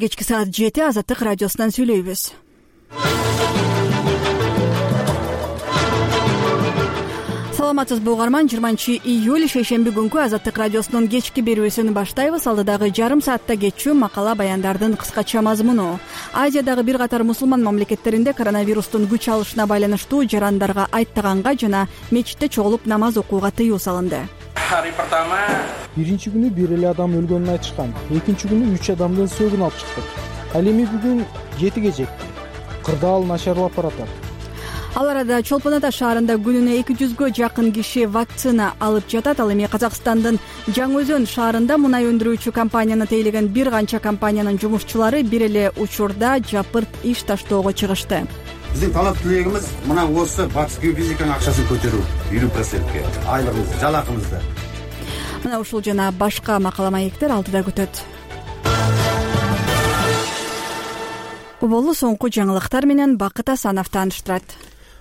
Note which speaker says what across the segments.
Speaker 1: Кечки саат 7 Азаттык радиосунан сүйлөйбүз. Саламатсызбы угарман, 20-июль шейшемби күнкү Азаттык радиосунун кечки берүүсүн баштайбыз. Алдыдагы жарым саатта кечүү макала баяндардын кыскача мазмуну. Азиядагы бир катар мусулман мамлекеттеринде коронавирустун күч алышына байланыштуу жарандарга айттаганга жана мечитте чогулуп намаз окууга тыюу салынды.
Speaker 2: Биринчи күнү бир эле адам өлгөнүн айтышкан. Экинчи күнү 3 адамдын сөөгүн алып чыктык. Ал эми бүгүн 7ге жетти. Кырдаал начарлап баратат.
Speaker 1: Ал арада Чолпон Ата шаарында күнүнө 200гө жакын киши вакцина алып жатат. Ал эми Казакстандын Жаңы Өзөн шаарында мунай өндүрүүчү компанияны тейлеген бир канча компаниянын жумушчулары бир эле учурда жапырт иш таштоого чыгышты.
Speaker 3: Биздин талап тилегибиз мына осы Батыс геофизиканын акчасын көтөрүү 50%ке, айлыгыбызды, жалакыбызды.
Speaker 1: Мына ушул жана башка макала маектер алдыда күтөт. Болу соңку жаңылыктар менен Бакыт Асанов тааныштырат.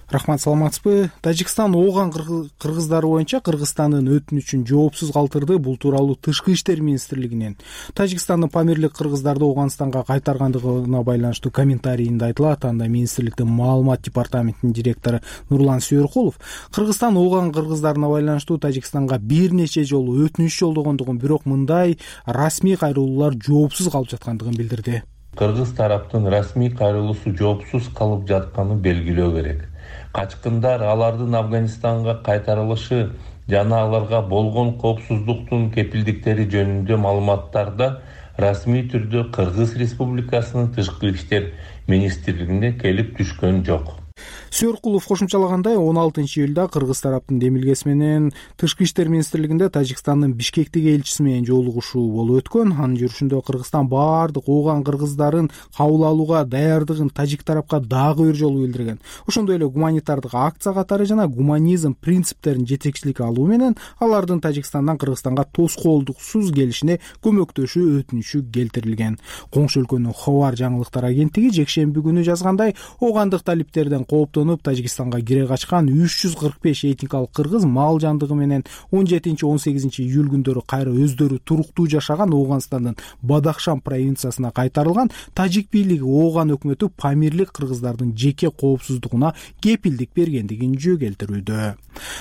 Speaker 2: Рахмат, саламатсызбы? Тажикстан ооган кыргыздары боюнча Кыргызстандын өтүнүчүн жоопсуз калтырды. Бул тууралуу Тышкы иштер министрлигинен Тажикстандын Памирлик кыргыздарды Ооганстанга кайтаргандыгына байланыштуу комментарийинде айтылат. Анда министрликтин маалымат департаментинин директору Нурлан Сүйөркулов Кыргызстан ооган кыргыздарына байланыштуу Тажикстанга бир нече жолу өтүнүч жолдогондугун, бирок мындай расмий кайрылуулар жоопсуз калып жаткандыгын билдирди.
Speaker 4: Кыргыз тараптын расмий кайрылуусу жоопсуз калып жатканын белгилөө керек. Качкындар алардын Афганистанга кайтарылышы жана аларга болгон коопсуздуктун кепилдиктери жөнүндө маалыматтарда расмий түрдө Кыргыз Республикасынын Тышкы иштер министрлигине келип түшкөн жок.
Speaker 2: Сүйөркулов кошумчалагандай, 16-июлда Кыргыз тараптын демилгеси менен Тышкы иштер министрлигинде Тажикстандын Бишкектеги элчиси менен жолугушуу болуп өткөн. Анын жүрүшүндө Кыргызстан баардык ооган кыргыздарын кабыл алууга даярдыгын тажик тарапка дагы бир жолу билдирген. Ошондой эле гуманитардык акция катары жана гуманизм принциптерин жетекчиликке алуу менен алардын Тажикстандан Кыргызстанга тоскоолдуксуз келишине көмөктөшүү өтүнүчү келтирилген. Коңшу өлкөнүн Хабар жаңылыктар агенттиги жекшемби күнү жазгандай, оогандык талиптерден кооптонуп Тажикстанга кире качкан 345 этникалык кыргыз мал жандыгы менен 17-18 июль күндөрү кайра өздөрү туруктуу жашаган Ооганстандын Бадахшан провинциясына кайтарылган. Тажик бийлиги ооган өкмөтү Памирлик кыргыздардын жеке коопсуздугуна кепилдик бергендигин жөө келтирүүдө.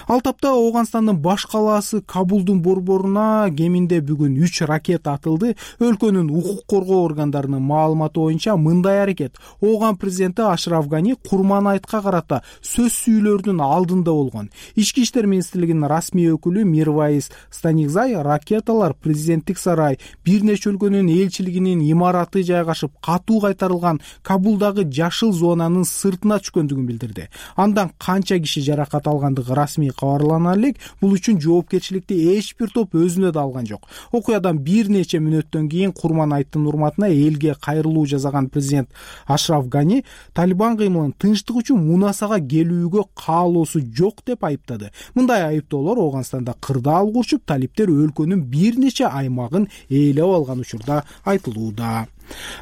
Speaker 2: Ал тапта Ооганстандын баш калаасы Кабулдун борборуна кеминде бүгүн 3 ракета атылды. Өлкөнүн укук коргоо органдарынын маалыматы боюнча мындай аракет ооган президенти Ашраф Гани курман айтка карата сөз сүйлөрдүн алдында болгон. Ички иштер министрлигинин расмий өкүлү Мирвайс Станигзай ракеталар президенттик сарай, бир нече өлкөнүн элчилигинин имараты жайгашып катуу кайтарылган Кабулдагы жашыл зонанын сыртына түшкөндүгүн билдирди. Андан канча киши жаракат алгандыгы расмий кабарлана элек. Бул үчүн жоопкерчиликти эч бир топ өзүнө да алган жок. Окуядан бир нече мүнөттөн кийин курман айттын урматына элге кайрылуу жасаган президент Ашраф Гани Талибан кыймылын тынчтык үчүн мунасага келүүгө каалоосу жок деп айыптады. Мындай айыптоолор Ооганстанда кырдаал курчуп, талиптер өлкөнүн бир нече аймагын ээлеп алган учурда айтылууда.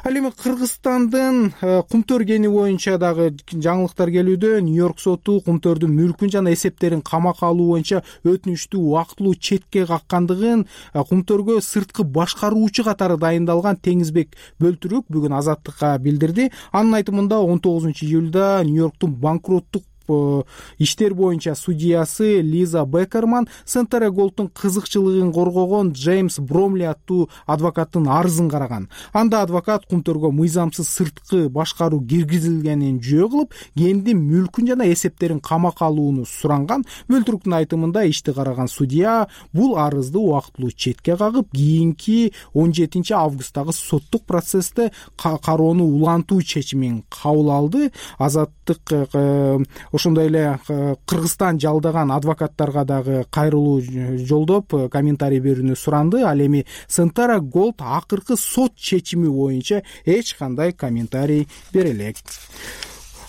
Speaker 2: Ал эми Кыргызстандын Кумтөр кени боюнча дагы жаңылыктар келүүдө. Нью-Йорк соту Кумтөрдүн мүлкүн жана эсептерин камакка алуу боюнча өтүнүчтү убактылуу четке каккандыгын, Кумтөргө сырткы башкаруучу катары дайындалган Теңизбек Бөлтүрөк бүгүн Азаттыкка билдирди. Анын айтымында 19-июлда Нью-Йорктун банкроттук иштер боюнча судьясы Лиза Бекерман Сентера Голдтун кызыкчылыгын коргогон Джеймс Бромли аттуу адвокаттын арызын караган. Анда адвокат Кумтөргө мыйзамсыз сырткы башкаруу киргизилгенин жөө кылып, кендин мүлкүн жана эсептерин камакка алууну суранган. Бөлтүрөктүн айтымында ишти караган судья бул арызды убактылуу четке кагып, кийинки 17 августтагы соттук процессте кароону улантуу чечимин кабыл алды. Азаттык ошондой эле Кыргызстан жалдаган адвокаттарга дагы кайрылуу жолдоп комментарий берүүнү суранды. Ал эми Сентера Голд акыркы сот чечими боюнча эч кандай комментарий бере элек.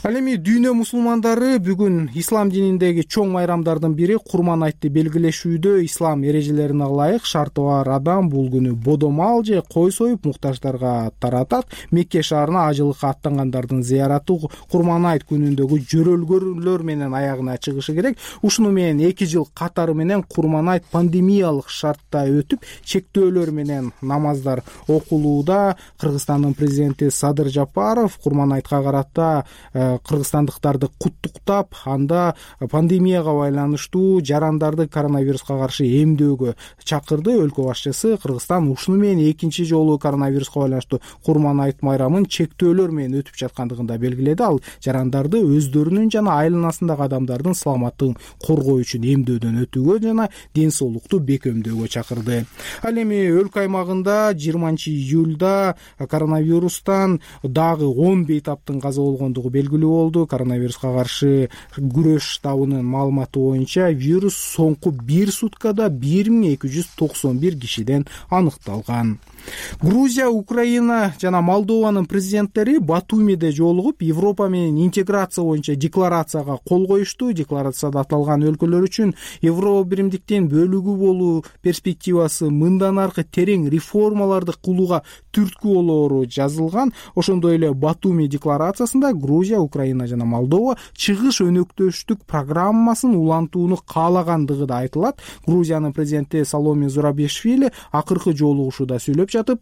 Speaker 2: Ал эми дүйнө мусулмандары бүгүн ислам дининдеги чоң майрамдардын бири Курман айтты белгилешүүдө ислам эрежелерине ылайык шарты бар адам бул күнү бодо мал же кой союп муктаждарга таратат. Мекке шаарына ажылыкка аттангандардын зыяраты Курман айт күнүндөгү жөрөлгөлөр менен аягына чыгышы керек. Ушуну менен 2 жыл катары менен Курман айт пандемиялык шартта өтүп, чектөөлөр менен намаздар окулууда. Кыргызстандын президенти Садыр Жапаров Курман айтка карата кыргызстандыктарды куттуктап, анда пандемияга байланыштуу жарандарды коронавируска каршы эмдөөгө чакырды. Өлкө башчысы Кыргызстан ушуну менен экинчи жолу коронавируска байланыштуу Курман айт майрамын чектөөлөр менен өтүп жаткандыгын да белгиледи. Ал жарандарды өздөрүнүн жана айланасындагы адамдардын саламаттыгын коргоо үчүн эмдөөдөн өтүүгө жана ден соолукту бекемдөөгө чакырды. Ал эми өлкө аймагында 20-июлда коронавирустан дагы 10 бейтаптын каза болгондугу белгилүү болду. Коронавируска каршы күрөш штабынын маалыматы боюнча вирус соңку 1 суткада 1291 кишиден аныкталган. Грузия, Украина жана Молдованын президенттери Батумиде жолугуп, Европа менен интеграция боюнча декларацияга кол коюшту. Декларацияда аталган өлкөлөр үчүн Евро биримдиктин бөлүгү болуу перспективасы мындан аркы терең реформаларды кылууга түрткү болоору жазылган. Ошондой эле Батуми декларациясында Грузия, Украина жана Молдова чыгыш өнөктөштүк программасын улантууну каалагандыгы да айтылат. Грузиянын президенти Саломе Зурабишвили акыркы жолугушууда сүйлөп жатып,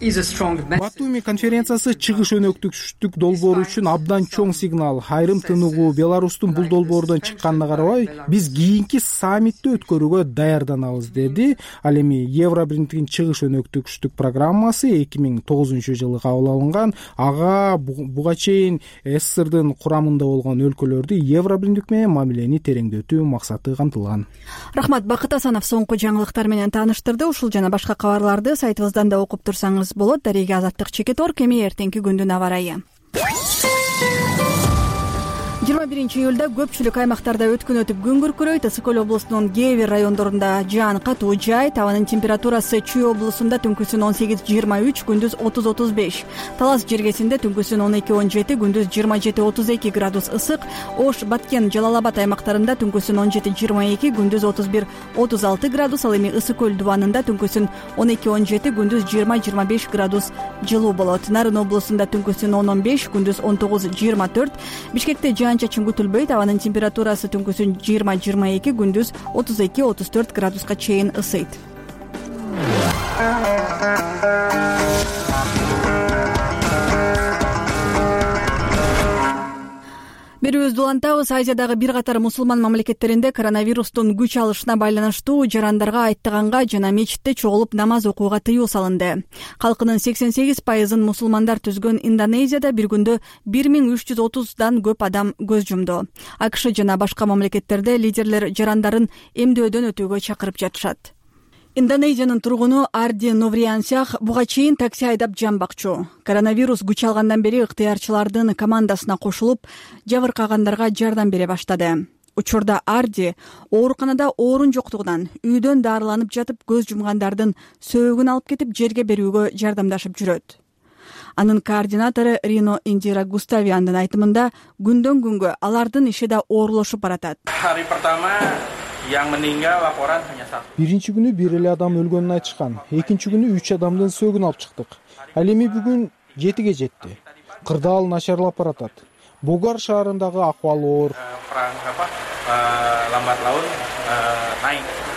Speaker 2: Батуми конференциясы чыгыш өнөктөштүк долбоору үчүн абдан чоң сигнал. Айрым тыныгуу Беларустун бул долбоордон чыкканына карабай, биз кийинки саммитти өткөрүүгө даярданабыз, деди. Ал эми Евро биримдиктин чыгыш өнөктөштүк программасы 2009 жылы кабыл алынган. Ага буга чейин СССРдын курамында болгон өлкөлөрдү Евро биримдик менен мамилени тереңдетүү максаты камтылган.
Speaker 1: Рахмат, Бакыт Асанов соңку жаңылыктар менен тааныштырды. Ушул жана башка кабарларды сайтыбыздан да окуп турсаңыз болот. Дареге Азаттык Чекеторг. Эми эртеңки күндүн аба ырайы. 21-июлда көпчүлүк аймактарда өткөн өтүп күн күркүрөйт. Ысык Көл облусунун кээ бир райондорунда жаан катуу жай. Табанын температурасы Чүй облусунда түнкүсүн 18-23, күндүз 30-35. Талас жергесинде түнкүсүн 12-17, күндүз 27-32 градус ысык. Ош, Баткен, Жалал-Абад аймактарында түнкүсүн 17-22, күндүз 31-36 градус. Ал эми Ысык Көл дубанында түнкүсүн 12-17, күндүз 20-25 градус жылуу болот. Нарын облусунда түнкүсүн 10-15, күндүз 19-24. Бишкекте чачын күтүлбөйт. Абанын температурасы түнкүсүн 20-22, күндүз 32-34 градуска чейин ысыйт. Берүүбүздү улантабыз. Азиядагы бир катар мусулман мамлекеттеринде коронавирустун күч алышына байланыштуу жарандарга айттыганга жана мечитте чогулуп намаз окууга тыюу салынды. Калкынын 88% мусулмандар түзгөн Индонезияда бир күндө 1330дан көп адам көз жумду. АКШ жана башка мамлекеттерде лидерлер жарандарын эмдөөдөн өтүүгө чакырып жатышат. Индонезиянын тургуну Арди Новриансях буга чейин такси айдап жамбакчу. Коронавирус күч алгандан бери ыктыярчылардын командасына кошулуп, жабыркагандарга жардам бере баштады. Учурда Арди ооруканада орун жоктугунан үйдөн дарыланып жатып көз жумгандардын сөөгүн алып кетип жерге берүүгө жардамдашып жүрөт. Анын координатору Рино Индира Густавиандын айтымында күндөн күнгө алардын иши да оорлошуп баратат.
Speaker 2: Биринчи күнү бир эле адам өлгөнүн айтышкан. Экинчи күнү 3 адамдын сөөгүн алып чыктык. Ал эми бүгүн 7ге жетти. Кырдаал начарлап баратат. Богар шаарындагы акыбал оор.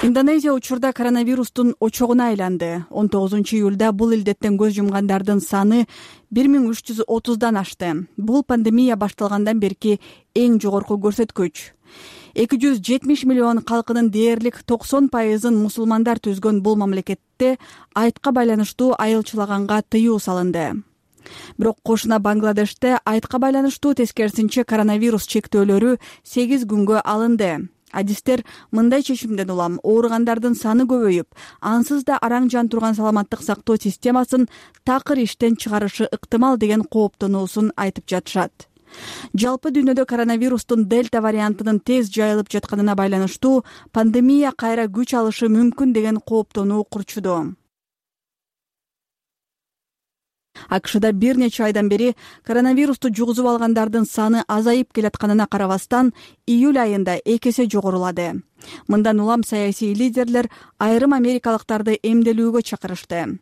Speaker 1: Индонезия учурда коронавирустун очогуна айланды. 19-июлда бул илдеттен көз жумгандардын саны 1330дан ашты. Бул пандемия башталгандан берки эң жогорку көрсөткүч. 270 миллион калкынын дээрлик 90%-ын мусулмандар түзгөн бул мамлекетте айтка байланыштуу айылчылаганга тыюу салынды. Бирок кошуна Бангладеште айтка байланыштуу тескерисинче коронавирус чектөөлөрү 8 күнгө алынды. Адистер мындай чечимден улам ооругандардын саны көбөйүп, ансыз да араң жан турган саламаттык сактоо системасын такыр иштен чыгарышы ыктымал деген кооптонуусун айтып жатышат. Жалпы дүйнөдө коронавирустун дельта вариантынын тез жайылып жатканына байланыштуу пандемия кайра күч алышы мүмкүн деген кооптонуу курчуду. АКШда бир нече айдан бери коронавирусту жугузуп алгандардын саны азайып келатканына карабастан, июль айында 2 эсе жогорулады. Мындан улам саясий лидерлер айрым америкалыктарды эмделүүгө чакырышты.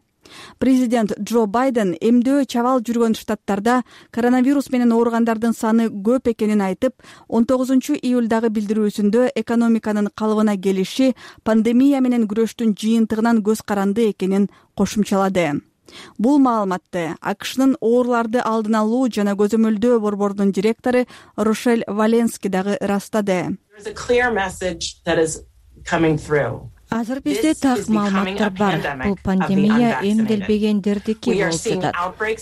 Speaker 1: Президент Джо Байден эмдөө чабал жүргөн штаттарда коронавирус менен ооругандардын саны көп экенин айтып, 19 июлдагы билдирүүсүндө экономиканын калыбына келиши пандемия менен күрөштүн жыйынтыгынан көз каранды экенин кошумчалады. Бул маалыматты АКШнын ооруларды алдын алуу жана көзөмөлдөө борборунун директору Рошель Валенски дагы ырастады.
Speaker 5: Азыр бизде так маалыматтар бар. Бул пандемия эмделбегендердики болуп жатат.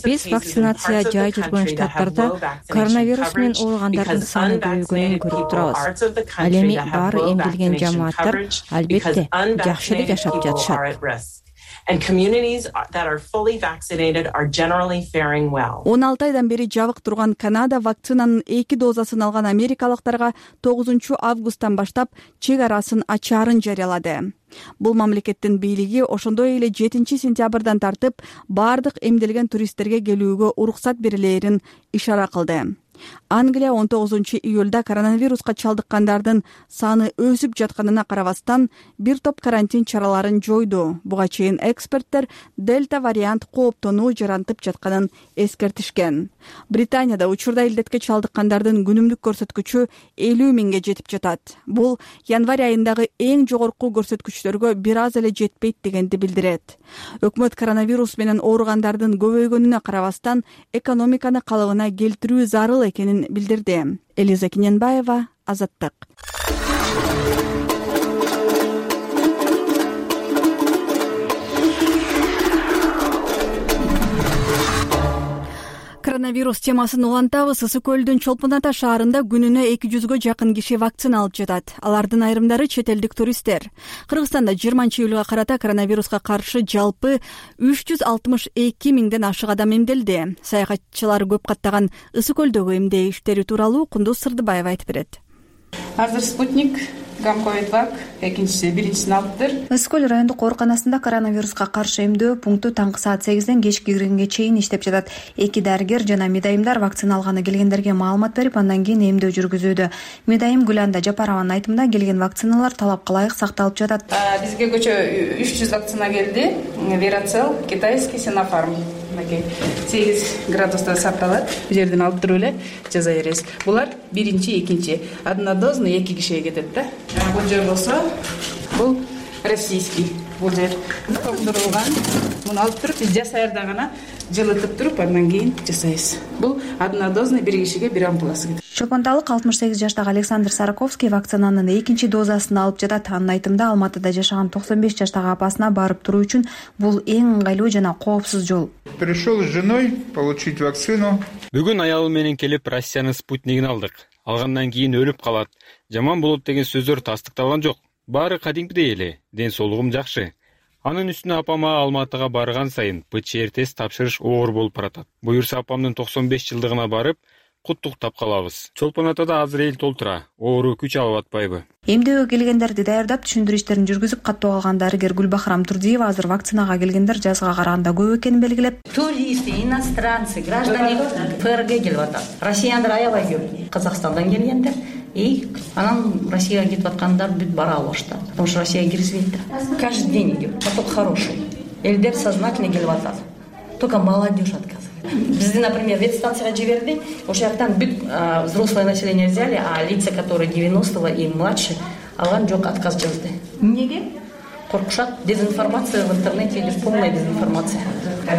Speaker 5: Биз вакцинация жай жүргөн штаттарда коронавирус менен ооругандардын саны көбөйгөнүн көрүп турабыз. Ал эми баары эмделген жамааттар албетте жакшы эле жашап жатышат.
Speaker 1: 16 айдан бери жабык турган Канада вакцинанын 2 дозасын алган америкалыктарга 9 августтан баштап чек арасын ачаарын жарыялады. Бул мамлекеттин бийлиги ошондой эле 7 сентябрдан тартып бардык эмделген туристтерге келүүгө уруксат берилээрин ишара кылды. Англия 19 июлда коронавируска чалдыккандардын саны өсүп жатканына карабастан бир топ карантин чараларын жойду. Буга чейин эксперттер дельта вариант кооптонуу жарантып жатканын эскертишкен. Британияда учурда илдетке чалдыккандардын күнүмдүк көрсөткүчү 50 миңге жетип жатат. Бул январь айындагы эң жогорку көрсөткүчтөргө бир аз эле жетпейт дегенди билдирет. Өкмөт коронавирус менен ооругандардын көбөйгөнүнө карабастан экономиканы калыбына келтирүү зарыл экенин билдирди. Элиза Киненбаева, Азаттык. Коронавирус темасын улантабыз. Ысык көлдүн Чолпон Ата шаарында күнүнө 200гө жакын киши вакцина алып жатат. Алардын айрымдары чет элдик туристтер. Кыргызстанда 20 июлга карата коронавируска каршы жалпы 362 миңден ашык адам эмделди. Саякатчылар көп каттаган Ысык көлдөгү эмдөө иштери тууралуу Кундуз Сырдыбаева айтып берет.
Speaker 6: Азыр спутник, гамковид-вак, биринчисин алыптыр.
Speaker 7: Ысык көл райондук ооруканасында коронавируска каршы эмдөө пункту таңкы саат 8ден кечки 1-ге чейин иштеп жатат. 2 дарыгер жана медайымдар вакцина алганы келгендерге маалымат берип, андан кийин эмдөө жүргүзүүдө. Медайым Гүланда Жапарованын айтымында келген вакциналар талапка ылайык сакталып жатат.
Speaker 6: Бизге көчө 300 вакцина келди. Верацел, китайский, Синофарм. 8 градуста сакталат. Бул жерден алып туруп эле жаза беребиз. Булар биринчи, экинчи. Однодозный 2 кишиге кетет да. Бул жер болсо, бул российский. Бул жер токтурулган. Муну алып туруп биз жасайырда гана жылытып туруп, андан кийин жасайбыз. Бул однодозный 1 кишиге 1 ампуласы кетет.
Speaker 7: Чолпонталык 68 жаштагы Александр Сараковский вакцинанын 2 дозасын алып жатат. Анын айтымында Алматыда жашаган 95 жаштагы апасына барып туруу үчүн бул эң ыңгайлуу жана коопсуз жол.
Speaker 8: Пришел с женой получить вакцину.
Speaker 9: Бүгүн аялым менен келип Россиянын спутнигин алдык. Алгандан кийин өлүп калат, жаман болот деген сөздөр тастыкталган жок. Баары кадимгидей эле, ден соолугум жакшы. Анын үстүнө апама Алматыга барган сайын ПЧР тест тапшырыш оор болуп баратат. Буюрса апамдын 95 жылдыгына барып куттуктап калабыз. Чолпон Атада азыр эл толтура, оору күч алып атпайбы?
Speaker 7: Эмдөөгө келгендерди даярдап, түшүндүрүү иштерин жүргүзүп каттоо алган дарыгер Гүлбахрам Турдиева азыр вакцинага келгендер жазга караганда көп экенин белгилеп,
Speaker 10: туристы, иностранцы, граждане ФРГ келип атат. Россияндар аябай көп. Казакстандан келгендер и анан Россияга кетип аткандар бүт бара алышты. Потому что Россияга киргизбейт. Каждый день идет. Поток хороший. Элдер сознательно келип атат. Только молодежь отказывает. Бизди, например, ветстанцияга жиберди. Ошол жактан бүт взрослое население взяли, а лица, которые 90-го и младше, алган жок, отказ жазды. Неге? Коркушат. Дезинформация в интернете идет, полная дезинформация.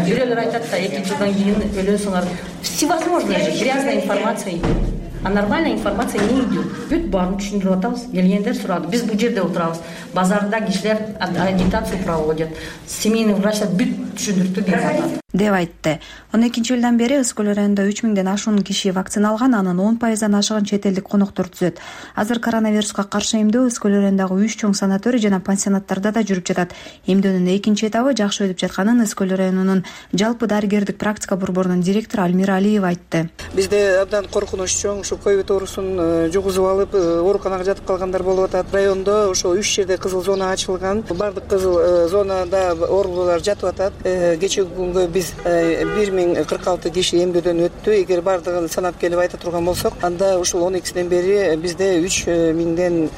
Speaker 10: Бирөөлөр айтат да, 2 жылдан кийин өлөсүңөр. Всевозможная же грязная информация идет. А нормальная информация не идет. Бүт баарын түшүндүрүп атабыз. Келгендер сурады. Биз бул жерде отурабыз. Базарда кишилер агитацию проводят. Семейный врачлар бүт түшүндүрүптү берип атат
Speaker 7: деп айтты. 12 жылдан бери Ысык көл районунда 3000ден ашуун киши вакцина алган, анын 10%дан ашыгын чет элдик коноктор түзөт. Азыр коронавируска каршы эмдөө Ысык көл районундагы 3 чоң санаторий жана пансионаттарда да жүрүп жатат. Эмдөөнүн экинчи этабы жакшы өтүп жатканын Ысык көл районунун жалпы дарыгердик практика борборунун директору Альмира Алиева айтты.
Speaker 11: Бизде абдан коркунуч чоң, ушу ковид оорусун жугузуп алып, ооруканага жатып калгандар болуп атат. Райондо ошо 3 жерде кызыл зона ачылган. Бардык кызыл зонада оорулуулар жатып атат. Кечеги күнгө биз биз 1046 киши эмдөөдөн өттү. Эгер бардыгын санап келип айта турган болсок, анда ушул 12-синен бери бизде 3000ден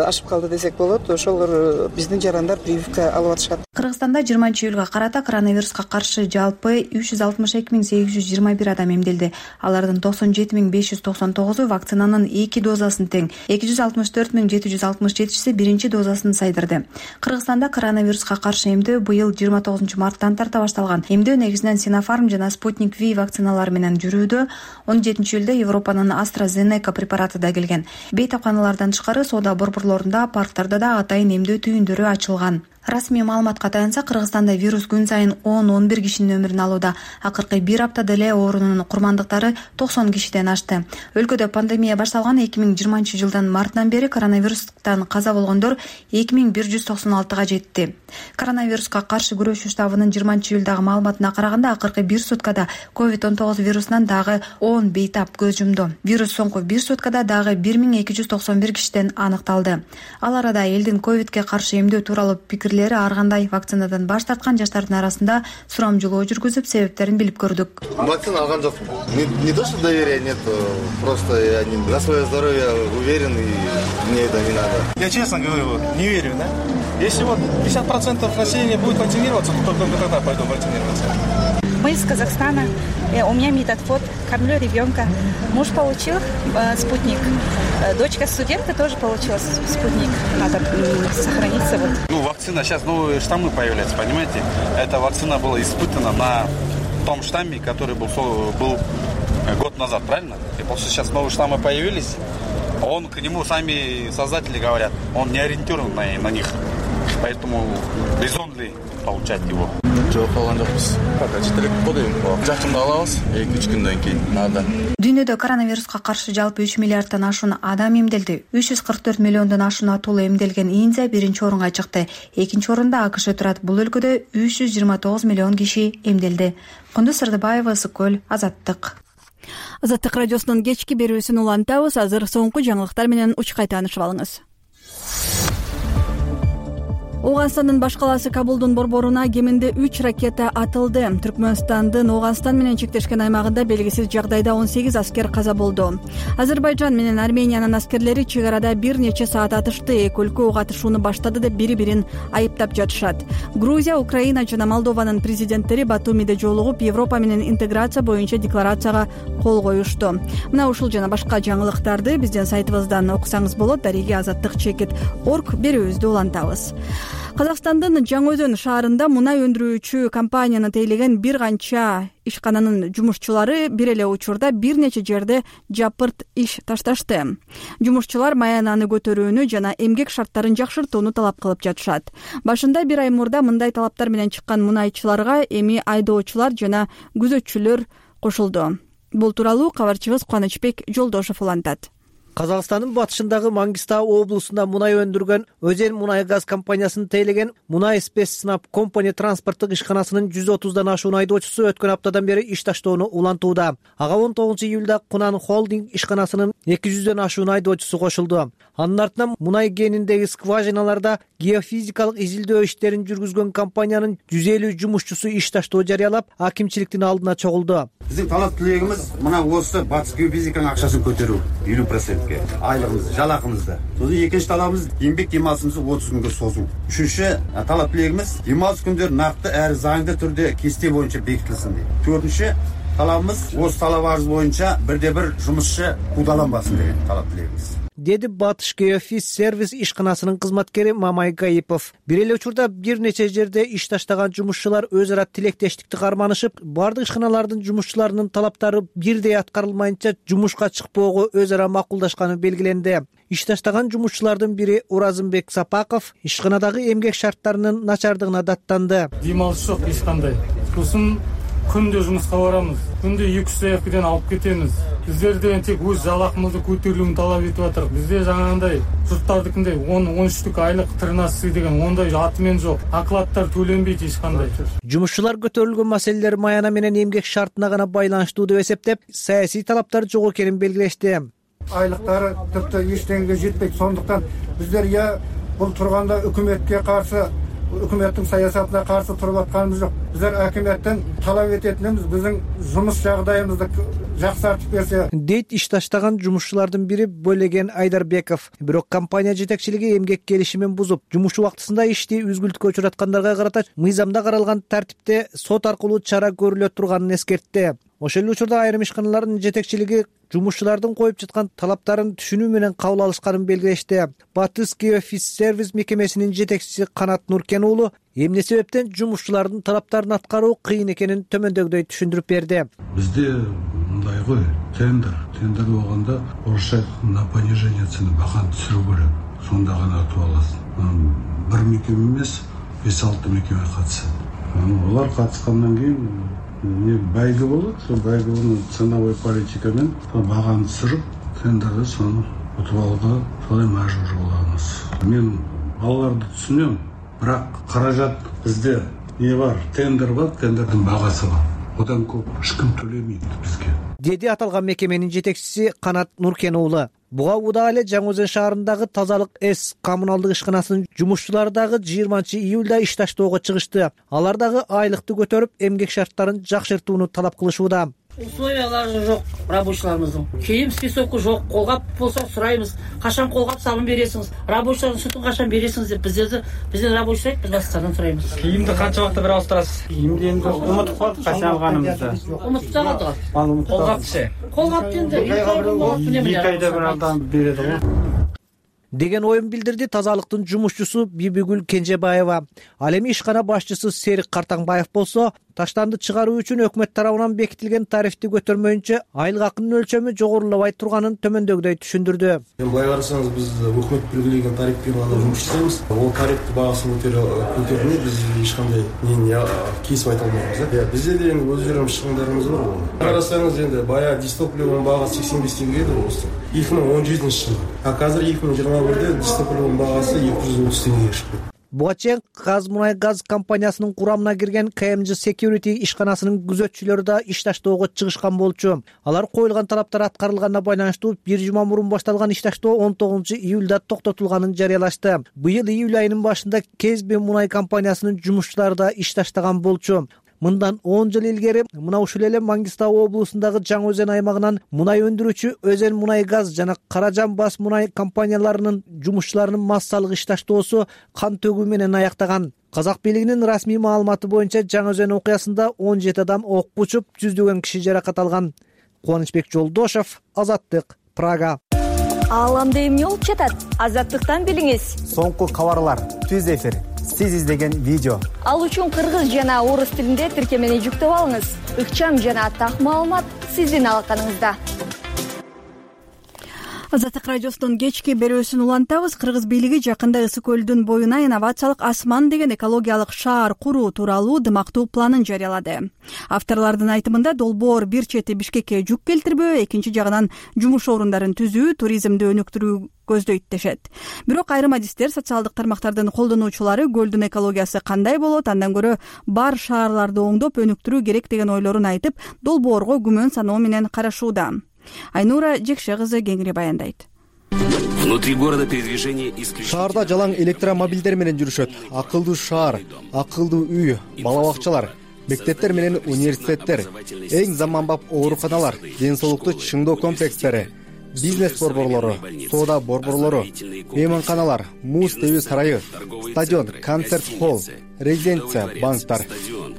Speaker 11: ашып калды десек болот. Ошолор биздин жарандар прививка алып атышат.
Speaker 7: Кыргызстанда 20-июлга карата коронавируска каршы жалпы 362.821 адам эмделди. Алардын 97.599-у вакцинанын 2 дозасын тең, 264.767-си биринчи дозасын сайдырды. Кыргызстанда коронавируска каршы эмдөө быйыл 29 марттан тарта башталган. Эмдөө негизинен Sinopharm жана Sputnik V вакциналары менен жүрүүдө. 17-июлда Европанын AstraZeneca препараты да келген. Бейтапканалардан тышкары соода борборлорунда, парктарда да атайын эмдөө түйүндөрү ачылган. Расмий маалыматка таянса, Кыргызстанда вирус күн сайын 10-11 кишинин өмүрүн алууда. Акыркы бир аптада эле оорунун курмандыктары 90 кишиден ашты. Өлкөдө пандемия башталган 2020-жылдын мартынан бери коронавирустан каза болгондор 2196-га жетти. Коронавируска каршы күрөшүү штабынын 20-июлдагы маалыматына караганда, акыркы бир суткада COVID-19 вирусунан дагы 10 бейтап көз жумду. Вирус соңку бир суткада дагы 1291 кишиден аныкталды. Ал арада элдин ковидке каршы эмдөө тууралуу пикирлери ар кандай вакцинадан баш тарткан жаштардын арасында сурамжылоо жүргүзүп, себептерин билип көрдүк.
Speaker 12: Вакцина алган жокмун. Не то, что доверия нет, просто я за свое здоровье уверен и мне это не надо.
Speaker 13: Я честно говорю, не верю, да? Если вот 50% населения будет вакцинироваться, то только тогда пойду вакцинироваться.
Speaker 14: Мы из Казахстана, у меня Метадфот, кормлю ребенка. Муж получил спутник, дочка студентка тоже получила спутник. Надо сохраниться. Вот.
Speaker 15: Ну, вакцина, сейчас новые штаммы появляются, понимаете? Эта вакцина была испытана на том штамме, который был год назад, правильно? И после сейчас новые штаммы появились, он к нему, сами создатели говорят, он не ориентирован на них. Поэтому резон ли получать его?
Speaker 12: Жок алган жокпуз. Пока четелек kodayım. Жакында алабыз, 2-3 күндөн кийин надо.
Speaker 7: Дүйнөдө коронавируска каршы жалпы 3 миллиарддан ашуун адам эмделди. 344 миллиондон ашуун атуулу эмделген Индия биринчи орунга чыкты. Экинчи орунда АКШ турат. Бул өлкөдө 329 миллион киши эмделди. Кундуз Сырдыбаева, Сокөл, Азаттык.
Speaker 1: Азаттык радиосунун кечки берүүсүн улантабыз. Азыр соңку жаңылыктар менен учкай таанышып алыңыз. Ооганстандын баш калаасы Кабулдун борборуна кеминде 3 ракета атылды. Түркмөнстандын Ооганстан менен чектешкен аймагында белгисиз жагдайда 18 аскер каза болду. Азербайжан менен Армениянын аскерлери чек арада бир нече саат атышты. Эки өлкө ок атышууну баштады деп бири-бирин айыптап жатышат. Грузия, Украина жана Молдованын президенттери Батумиде жолугуп, Европа менен интеграция боюнча декларацияга кол коюшту. Мына ушул жана башка жаңылыктарды биздин сайтыбыздан окусаңыз болот. Дареги Азаттык.org берүүбүздү улантабыз. Казакстандын Жаңы Өзөн шаарында мунай өндүрүүчү компанияны тейлеген бир канча ишкананын жумушчулары бир эле учурда бир нече жерде жапырт иш ташташты. Жумушчулар маянаны көтөрүүнү жана эмгек шарттарын жакшыртууну талап кылып жатышат. Башында бир ай мурда мындай талаптар менен чыккан мунайчыларга эми айдоочулар жана күзөтчүлөр кошулду. Бул тууралуу кабарчыбыз Кубанычбек Жолдошов улантат.
Speaker 16: Казакстандын батышындагы Мангистау облусунда мунай өндүргөн Өзен мунай газ компаниясын тейлеген Мунай Спецснаб компания транспорттук ишканасынын 130дан ашуун айдоочусу өткөн аптадан бери иш таштоону улантууда. Ага 19-июлда Кунан холдинг ишканасынын 200дөн ашуун айдоочусу кошулду. Анын артынан мунай кениндеги скважиналарда геофизикалык изилдөө иштерин жүргүзгөн компаниянын 150 жумушчусу иш таштоо жарыялап, акимчиликтин алдына чогулду.
Speaker 3: Биздин талап тилегибиз мына осы батыс геофизиканын акчасын көтөрүү 50%. Айлығымызды, жалақымызды. Сосын екінші талабымыз еңбек демалысымызды 30 күнге созу. Үшінші талап тілегіміз демалыс күндері нақты әрі заңды түрде кесте бойынша бекітілсін дейді. Төртінші талабымыз осы талап арыз бойынша бірде-бір жұмысшы қудаланбасын деген талап тілегіміз.
Speaker 16: Деди Батыш Геофиз сервис ишканасынын кызматкери Мамай Гаипов. Бир эле учурда бир нече жерде иш таштаган жумушчулар өз ара тилектештикти карманышып, бардык ишканалардын жумушчуларынын талаптары бирдей аткарылмайынча жумушка чыкпоого өз ара макулдашканы белгиленди. Иш таштаган жумушчулардын бири Уразымбек Сапаков ишканадагы эмгек шарттарынын начардыгына даттанды.
Speaker 17: Демалыш жок эч кандай. Сосын күндө жумушка барамыз. Күндө 200 саякыдан алып кетемиз. Биздерден тек өз жалакымызды көтөрүүнү талап этип атырык. Бизде жаңагындай журттардыкындай 10-13 айлык 13 деген ондай атымен жок. Акладтар төленбейт эч кандай.
Speaker 16: Жумушчулар көтөрүлгөн маселелер маяна менен эмгек шартына гана байланыштуу деп эсептеп, саясий талаптар жок экенин белгилешти.
Speaker 18: Айлыктары тіпті ештеңеге жетпейді. Сондықтан біздер бул турганда өкмөткө каршы
Speaker 17: өкмөттүн саясатына каршы туруп атканыбыз жок. Bizler акиметтен талап этетинибиз биздин жумуш жагдайыбызды жакшыртып берсе
Speaker 16: дейт иш таштаган жумушчулардын бири Бөлеген Айдарбеков. Бирок компания жетекчилиги эмгек келишимин бузуп, жумуш убактысында ишти үзгүлтүккө учураткандарга карата мыйзамда каралган тартипте сот аркылуу чара көрүлө турганын эскертти. Ошол эле учурда айрым ишканалардын жетекчилиги жумушчулардын коюп жаткан талаптарын түшүнүү менен кабыл алышканын белгилешти. Батыский офис сервис мекемесинин жетекчиси Канат Нуркен уулу эмне себептен жумушчулардын талаптарын аткаруу кыйын экенин төмөндөгүдөй түшүндүрүп берди.
Speaker 18: Бизде мындай го тендер болгондо орусча на понижение цены баканы түшүрүү керек. Сонда гана утуп аласың. Бир мекеме эмес, 5-6 мекеме катышат. Олар катышкандан кийин байгы болот, сол байгынын ценовой политикамен баганы түсүрүп, тендерде сону утуп алууга солай мажбур болобуз. Мен аларды түшүнөм, бирок каражат бизде не бар, тендер бар, тендердин багасы бар. Одан көп эч ким төлөйт бизге.
Speaker 16: Деди аталган мекеменин жетекчиси Канат Нуркен уулу. Буга удаа эле Жаңы Өзен шаарындагы Тазалык С коммуналдык ишканасынын жумушчулары дагы 20-июлда иш таштоого чыгышты. Алар дагы айлыкты көтөрүп, эмгек шарттарын жакшыртууну талап кылышууда.
Speaker 19: Условиялары жок рабочийларыбыздын. Кийим списоку жок. Колгап болсо сурайбыз. Качан колгап салым бересиңиз? Рабочийлардын сутун качан бересиңиз деп бизден рабочий биз бастардан сурайбыз.
Speaker 17: Кийимди канча убакытта бере алыштырасыз? Кийимди эми унутуп калдык качан алганыбызды.
Speaker 19: Унутуп калдык. Колгапчы. Колгап енді 2
Speaker 17: айда бир алдан береді ғой
Speaker 16: деген оюн билдирди тазалыктын жумушчусу Бибигүл Кенжебаева. Ал эми ишкана башчысы Серик Картаңбаев болсо, таштанды чыгаруу үчүн өкмөт тарабынан бекитилген тарифти көтөрмөйүнчө айлык акынын өлчөмү жогорулабай турганын төмөндөгүдөй түшүндүрдү.
Speaker 20: Былай карасаңыз, биз өкмөт белгилеген тарифпен гана жумуш жасайбыз. Ол тарифти баасын көтөрмөй биз эч кандай кесип айта албайбыз. Бизде де эми өз жүрөм чыгымдарыбыз бар. Карасаңыз, энди бая дистопливонун багасы 85 теңге edi болсо 2017-жылы. А азыр 2021-де дистопливонун багасы 230 теңгеге чыкты.
Speaker 16: Буга чейин Казмунайгаз компаниясынын курамына кирген KMG Security ишканасынын күзөтчүлөрү да иш таштоого чыгышкан болчу. Алар коюлган талаптар аткарылганына байланыштуу бир жума мурун башталган иш таштоо 19-июлда токтотулганын жарыялашты. Быйыл июль айынын башында Кезби мунай компаниясынын жумушчулары да иш таштаган болчу. Мындан 10 жыл илгери мына ушул эле Маңгыстау облусундагы Жаңы Өзен аймагынан мунай өндүрүүчү Өзен мунай газ жана Каражан бас мунай компанияларынын жумушчуларынын массалык иш таштоосу кан төгүү менен аяктаган. Казак бийлигинин расмий маалыматы боюнча Жаңы Өзен окуясында 17 адам окко учуп, жүздөгөн киши жаракат алган. Кубанычбек Жолдошов, Азаттык, Прага.
Speaker 21: Ааламда эмне болуп жатат? Азаттыктан билиңиз.
Speaker 22: Соңку кабарлар, түз эфир, сиз издеген видео.
Speaker 21: Ал үчүн кыргыз жана орус тилинде тиркемени жүктөп алыңыз. Ыкчам жана так маалымат сиздин алаканыңызда.
Speaker 1: Азаттык радиосунун кечки берүүсүн улантабыз. Кыргыз бийлиги жакында Ысык көлдүн боюна инновациялык Асман деген экологиялык шаар куруу тууралуу дымактуу планын жарыялады. Авторлордун айтымында долбоор бир чети Бишкекке жүк келтирбөө, экинчи жагынан жумуш орундарын түзүү, туризмди өнүктүрүү көздөйт дешет. Бирок айрым адистер, социалдык тармактардын колдонуучулары көлдүн экологиясы кандай болот, андан көрө бар шаарларды оңдоп өнүктүрүү керек деген ойлорун айтып, долбоорго күмөн саноо менен карашууда. Айнура Жекше кызы кеңири баяндайт.
Speaker 23: Внутри города передвижение исключительно.
Speaker 22: Шаарда жалаң электромобилдер менен жүрүшөт. Акылдуу шаар, акылдуу үй, бала бакчалар, мектептер менен университеттер, эң заманбап ооруканалар, ден соолукту чыңдоо комплекстери, бизнес борборлору, соода борборлору, мейманканалар, муз тебүү сарайы, стадион, концерт-холл, резиденция, банктар.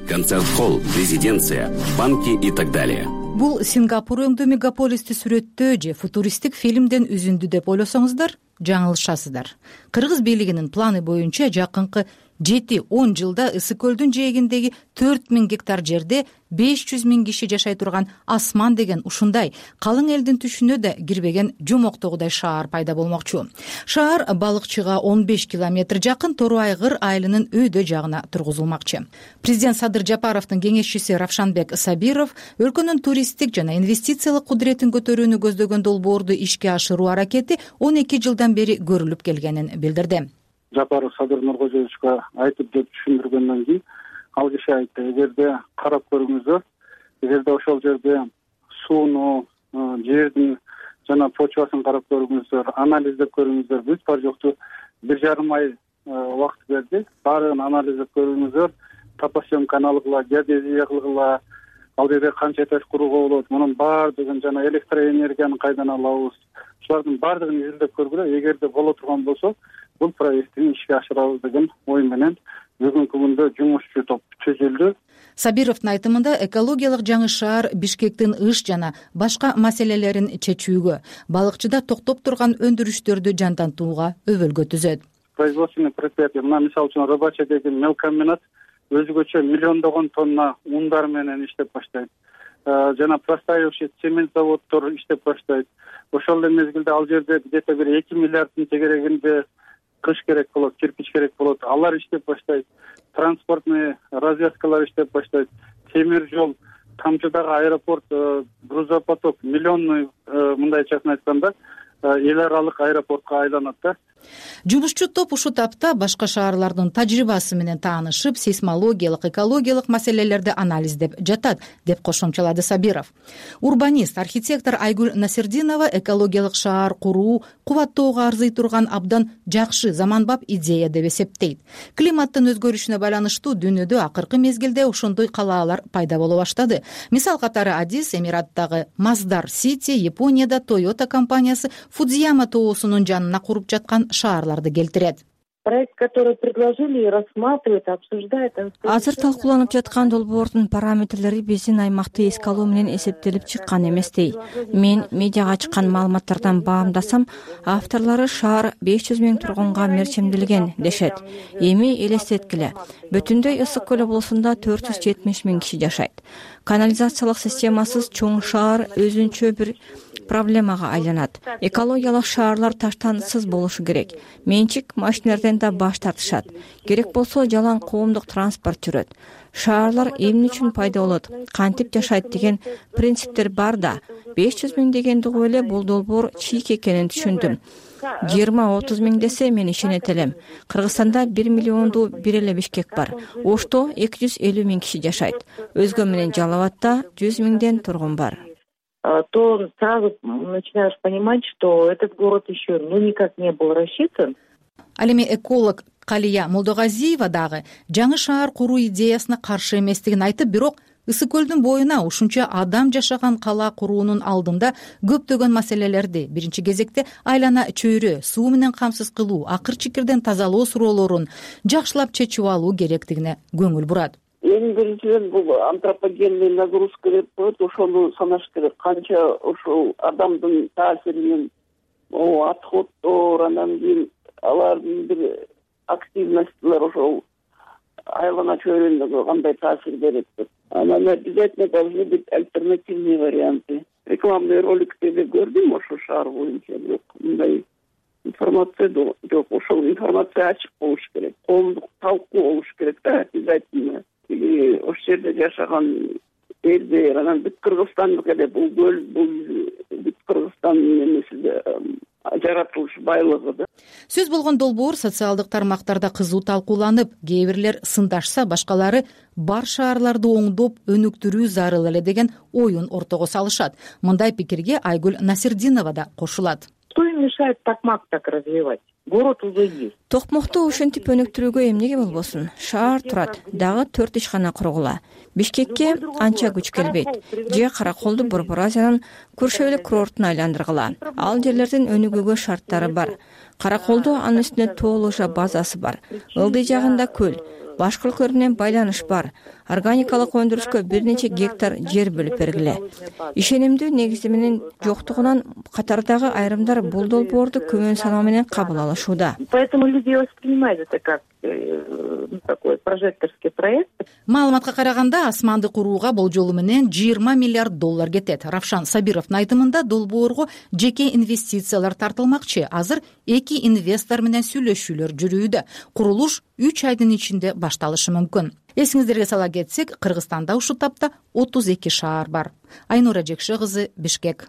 Speaker 23: Концерт-холл, резиденция, банки и так далее.
Speaker 24: Бул Сингапур өңдүү мегаполисти сүрөттөө же футуристик фильмден үзүндү деп ойлосоңуздар, жаңылышасыздар. Кыргыз бийлигинин планы боюнча жакынкы 7-10 жылда Ысык көлдүн жээгиндеги 4000 гектар жерде 500 000 киши жашай турган Асман деген ушундай калың элдин түшүнө да кирбеген жомоктогудай шаар пайда болмокчу. Шаар балыкчыга 15 километр жакын Тору Айгыр айылынын өйдө жагына тургузулмакчы. Президент Садыр Жапаровдун кеңешчиси Равшанбек Сабиров өлкөнүн туристтик жана инвестициялык кудуретін көтөрүүнү көздөгөн долбоорду ишке ашыруу аракети 12 жылдан бери көрүлүп келгенин билдирди.
Speaker 25: Жапаров Садыр Нуркожоевичке айтып деп түшүндүргөндөн кийин ал киши айтты, эгерде карап көрүңүздөр, эгерде ошол жерде сууну, жердин жана почвасын карап көрүңүздөр, анализдеп көрүңүздөр, бүт бар жокту 1,5 ай убакыт берди. Баарын анализдеп көрүңүздөр. Топосъемканы алгыла, геодезия кылгыла, ал жерде канча этаж курууга болот, мунун баардыгын жана электроэнергияны кайдан алабыз, ушулардын баардыгын изилдеп көргүлө. Эгерде боло турган болсо, бул проекттин ишке ашырабыз деген ой менен бүгүнкү күндө жумушчу топ түзүлдү.
Speaker 24: Сабировдун айтымында экологиялык жаңы шаар Бишкектин ыш жана башка маселелерин чечүүгө, балыкчыда токтоп турган өндүрүштөрдү жандантууга өбөлгө түзөт.
Speaker 25: Производственный предприятие, мына мисалы үчүн Рыбача деген мелкомбинат өзгөчө миллиондогон тонна ундар менен иштеп баштайт. Жана простаивший цемент заводдор иштеп баштайт. Ошол эле мезгилде ал жерде где-то бир 2 миллиарддын тегерегинде кыш керек болот, кирпич керек болот. Алар иштеп баштайт. Транспортный развязкалар иштеп баштайт. Темир жол, Камчыдагы аэропорт, грузопоток миллионный, мындайчасын айтканда, эл аралык аэропортко айланат да.
Speaker 24: Жумушчу топ ушул тапта башка шаарлардын тажрыйбасы менен таанышып, сейсмологиялык, экологиялык маселелерди анализдеп жатат, деп кошумчалады Сабиров. Урбанист, архитектор Айгүл Насирдинова экологиялык шаар куруу кубаттоого арзый турган абдан жакшы, заманбап идея деп эсептейт. Климаттын өзгөрүшүнө байланыштуу дүйнөдө акыркы мезгилде ошондой калаалар пайда боло баштады. Мисал катары Адис Эмираттагы Маздар Сити, Японияда Toyota компаниясы Фудзияма тоосунун жанына куруп жаткан шаарларды келтирет.
Speaker 2: Проект, который предложили, рассматривает, обсуждает.
Speaker 4: Азыр талкууланып жаткан долбоордун параметрлери биздин аймакты эске алуу менен эсептелип чыккан эместей. Мен медиага чыккан маалыматтардан баамдасам, авторлору шаар 500 000 тургунга мерчемделген дешет. Эми элестеткиле, бүтүндөй ысык көл облусунда 470 000 киши жашайт. Канализациялык системасыз чоң шаар өзүнчө бир проблемага айланат. Экологиялык шаарлар таштансыз болушу керек. Менчик машинелерден да баш тартышат. Керек болсо жалаң коомдук транспорт жүрөт. Шаарлар эмне үчүн пайда болот, кантип жашайт деген принциптер бар да. 500 000 дегенди угуп эле бул долбоор чийик экенин түшүндүм. 20-30 000 десе мен ишенет элем. Кыргызстанда 1 миллионду бир эле Бишкек бар. Ошто 250 000 киши жашайт. Өзгө менен Жалал Абадта 100 000 тургун бар.
Speaker 2: То сразу начинаешь понимать, что этот город еще никак не был рассчитан.
Speaker 24: Ал эми эколог Калия Молдогазиева дагы жаңы шаар куруу идеясына каршы эместигин айтып, бирок Ысык көлдүн боюна ушунча адам жашаган кала куруунун алдында көптөгөн маселелерди, биринчи кезекте айлана чөйрө, суу менен камсыз кылуу, акыр чикирден тазалоо суроолорун жакшылап чечип алуу керектигине көңүл бурат.
Speaker 2: Эң биринчиден бул антропогенный нагрузка деп коет, ошону санаш керек. Канча ошол адамдын таасиринен отходдор, анан кийин алардын бир активностьтер ошол айлана чөйрөндөгү кандай таасир берет деп. Анан обязательно должны быть альтернативные варианты. Рекламный роликтерди көрдүм ошол шаар боюнча, бирок мындай информация жок. Ошол информация ачык болуш керек. Коомдук талкуу болуш керек да, обязательно. Ошол жерде жашаган элдер, анан бүт Кыргызстандык эле бул көл, бул бүт Кыргызстандын эмеси жаратылыш байлыгы да.
Speaker 24: Сөз болгон долбоор социалдык тармактарда кызуу талкууланып, кээ бирлер сындашса, башкалары бар шаарларды оңдоп өнүктүрүү зарыл эле деген оюн ортого салышат. Мындай пикирге Айгүл Насирдинова да кошулат.
Speaker 2: Что им мешает Токмак так развивать? Город уже есть.
Speaker 4: Токмокту ушинтип өнүктүрүүгө эмнеге болбосун? Шаар турат, дагы 4 ишкана кургула. Бишкекке анча күч келбейт. Же Караколду Борбор Азиянын көршө эле курортуна айландыргыла. Ал жерлердин өнүгүүгө шарттары бар. Караколду анын үстүнө тоо лыжа базасы бар. Ылдый жагында көл. Башка өлкөлөр менен байланыш бар. Органикалык өндүрүшкө бир нече гектар жер бөлүп бергиле. Ишенимдүү негиздеменин жоктугунан катардагы айрымдар бул долбоорду көмөн саноо менен кабыл алышууда.
Speaker 2: Поэтому люди воспринимают это как такой прожекторский проект.
Speaker 24: Маалыматка караганда асманды курууга болжолу менен $20 миллиард кетет. Равшан Сабировдун айтымында долбоорго жеке инвестициялар тартылмакчы. Азыр 2 инвестор менен сүйлөшүүлөр жүрүүдө. Курулуш 3 айдын ичинде башталышы мүмкүн. Эсиңиздерге сала кетсек, Кыргызстанда ушул тапта 32 шаар бар. Айнура Жекше кызы, Бишкек.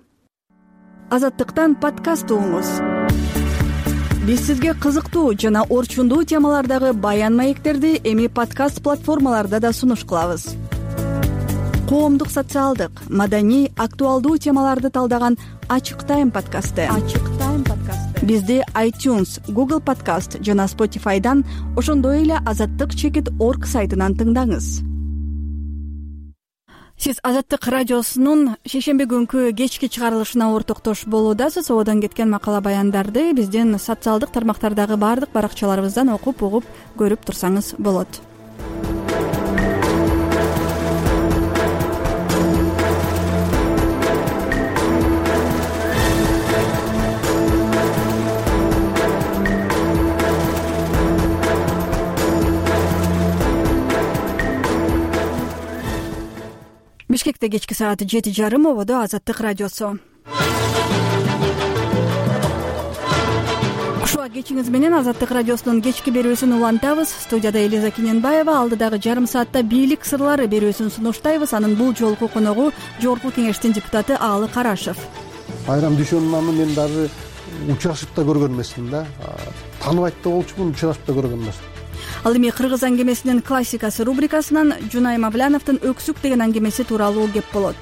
Speaker 1: Азаттыктан подкаст угуңуз. Биз сизге кызыктуу жана орчундуу темалардагы баян маектерди эми подкаст платформаларда да сунуш кылабыз. Коомдук, социалдык, маданий, актуалдуу темаларды талдаган Ачык Тайм подкасты. Бизди iTunes, Google Podcast жана Spotify'дан, ошондой эле azattik.org сайтынан тыңдаңыз. Сиз Азаттык радиосунун шейшемби күнкү кечки чыгарылышына ортоктош болуудасыз. Оодон кеткен макала баяндарды биздин социалдык тармактардагы баардык баракчаларыбыздан окуп, угуп, көрүп турсаңыз болот. Бишкекте кечки саат 7:30, ободо Азаттык радиосу. Ушуга кечиңиз менен Азаттык радиосунун кечки берүүсүн улантабыз. Студияда Элиза Кененбаева, алдыдагы жарым саатта бийлик сырлары берүүсүн сунуштайбыз. Анын бул жолку коногу Жогорку Кеңештин депутаты Аалы Карашев.
Speaker 18: Айрам дүйшөнүн мен даже учурашып да көргөн эмесмин да. Тааныбайт да болчумун, учурашып да көргөн эмесмин.
Speaker 1: Ал эми кыргыз аңгемесинин классикасы рубрикасынан Жунай Мавляновдун Өксүк деген аңгемеси тууралуу кеп болот.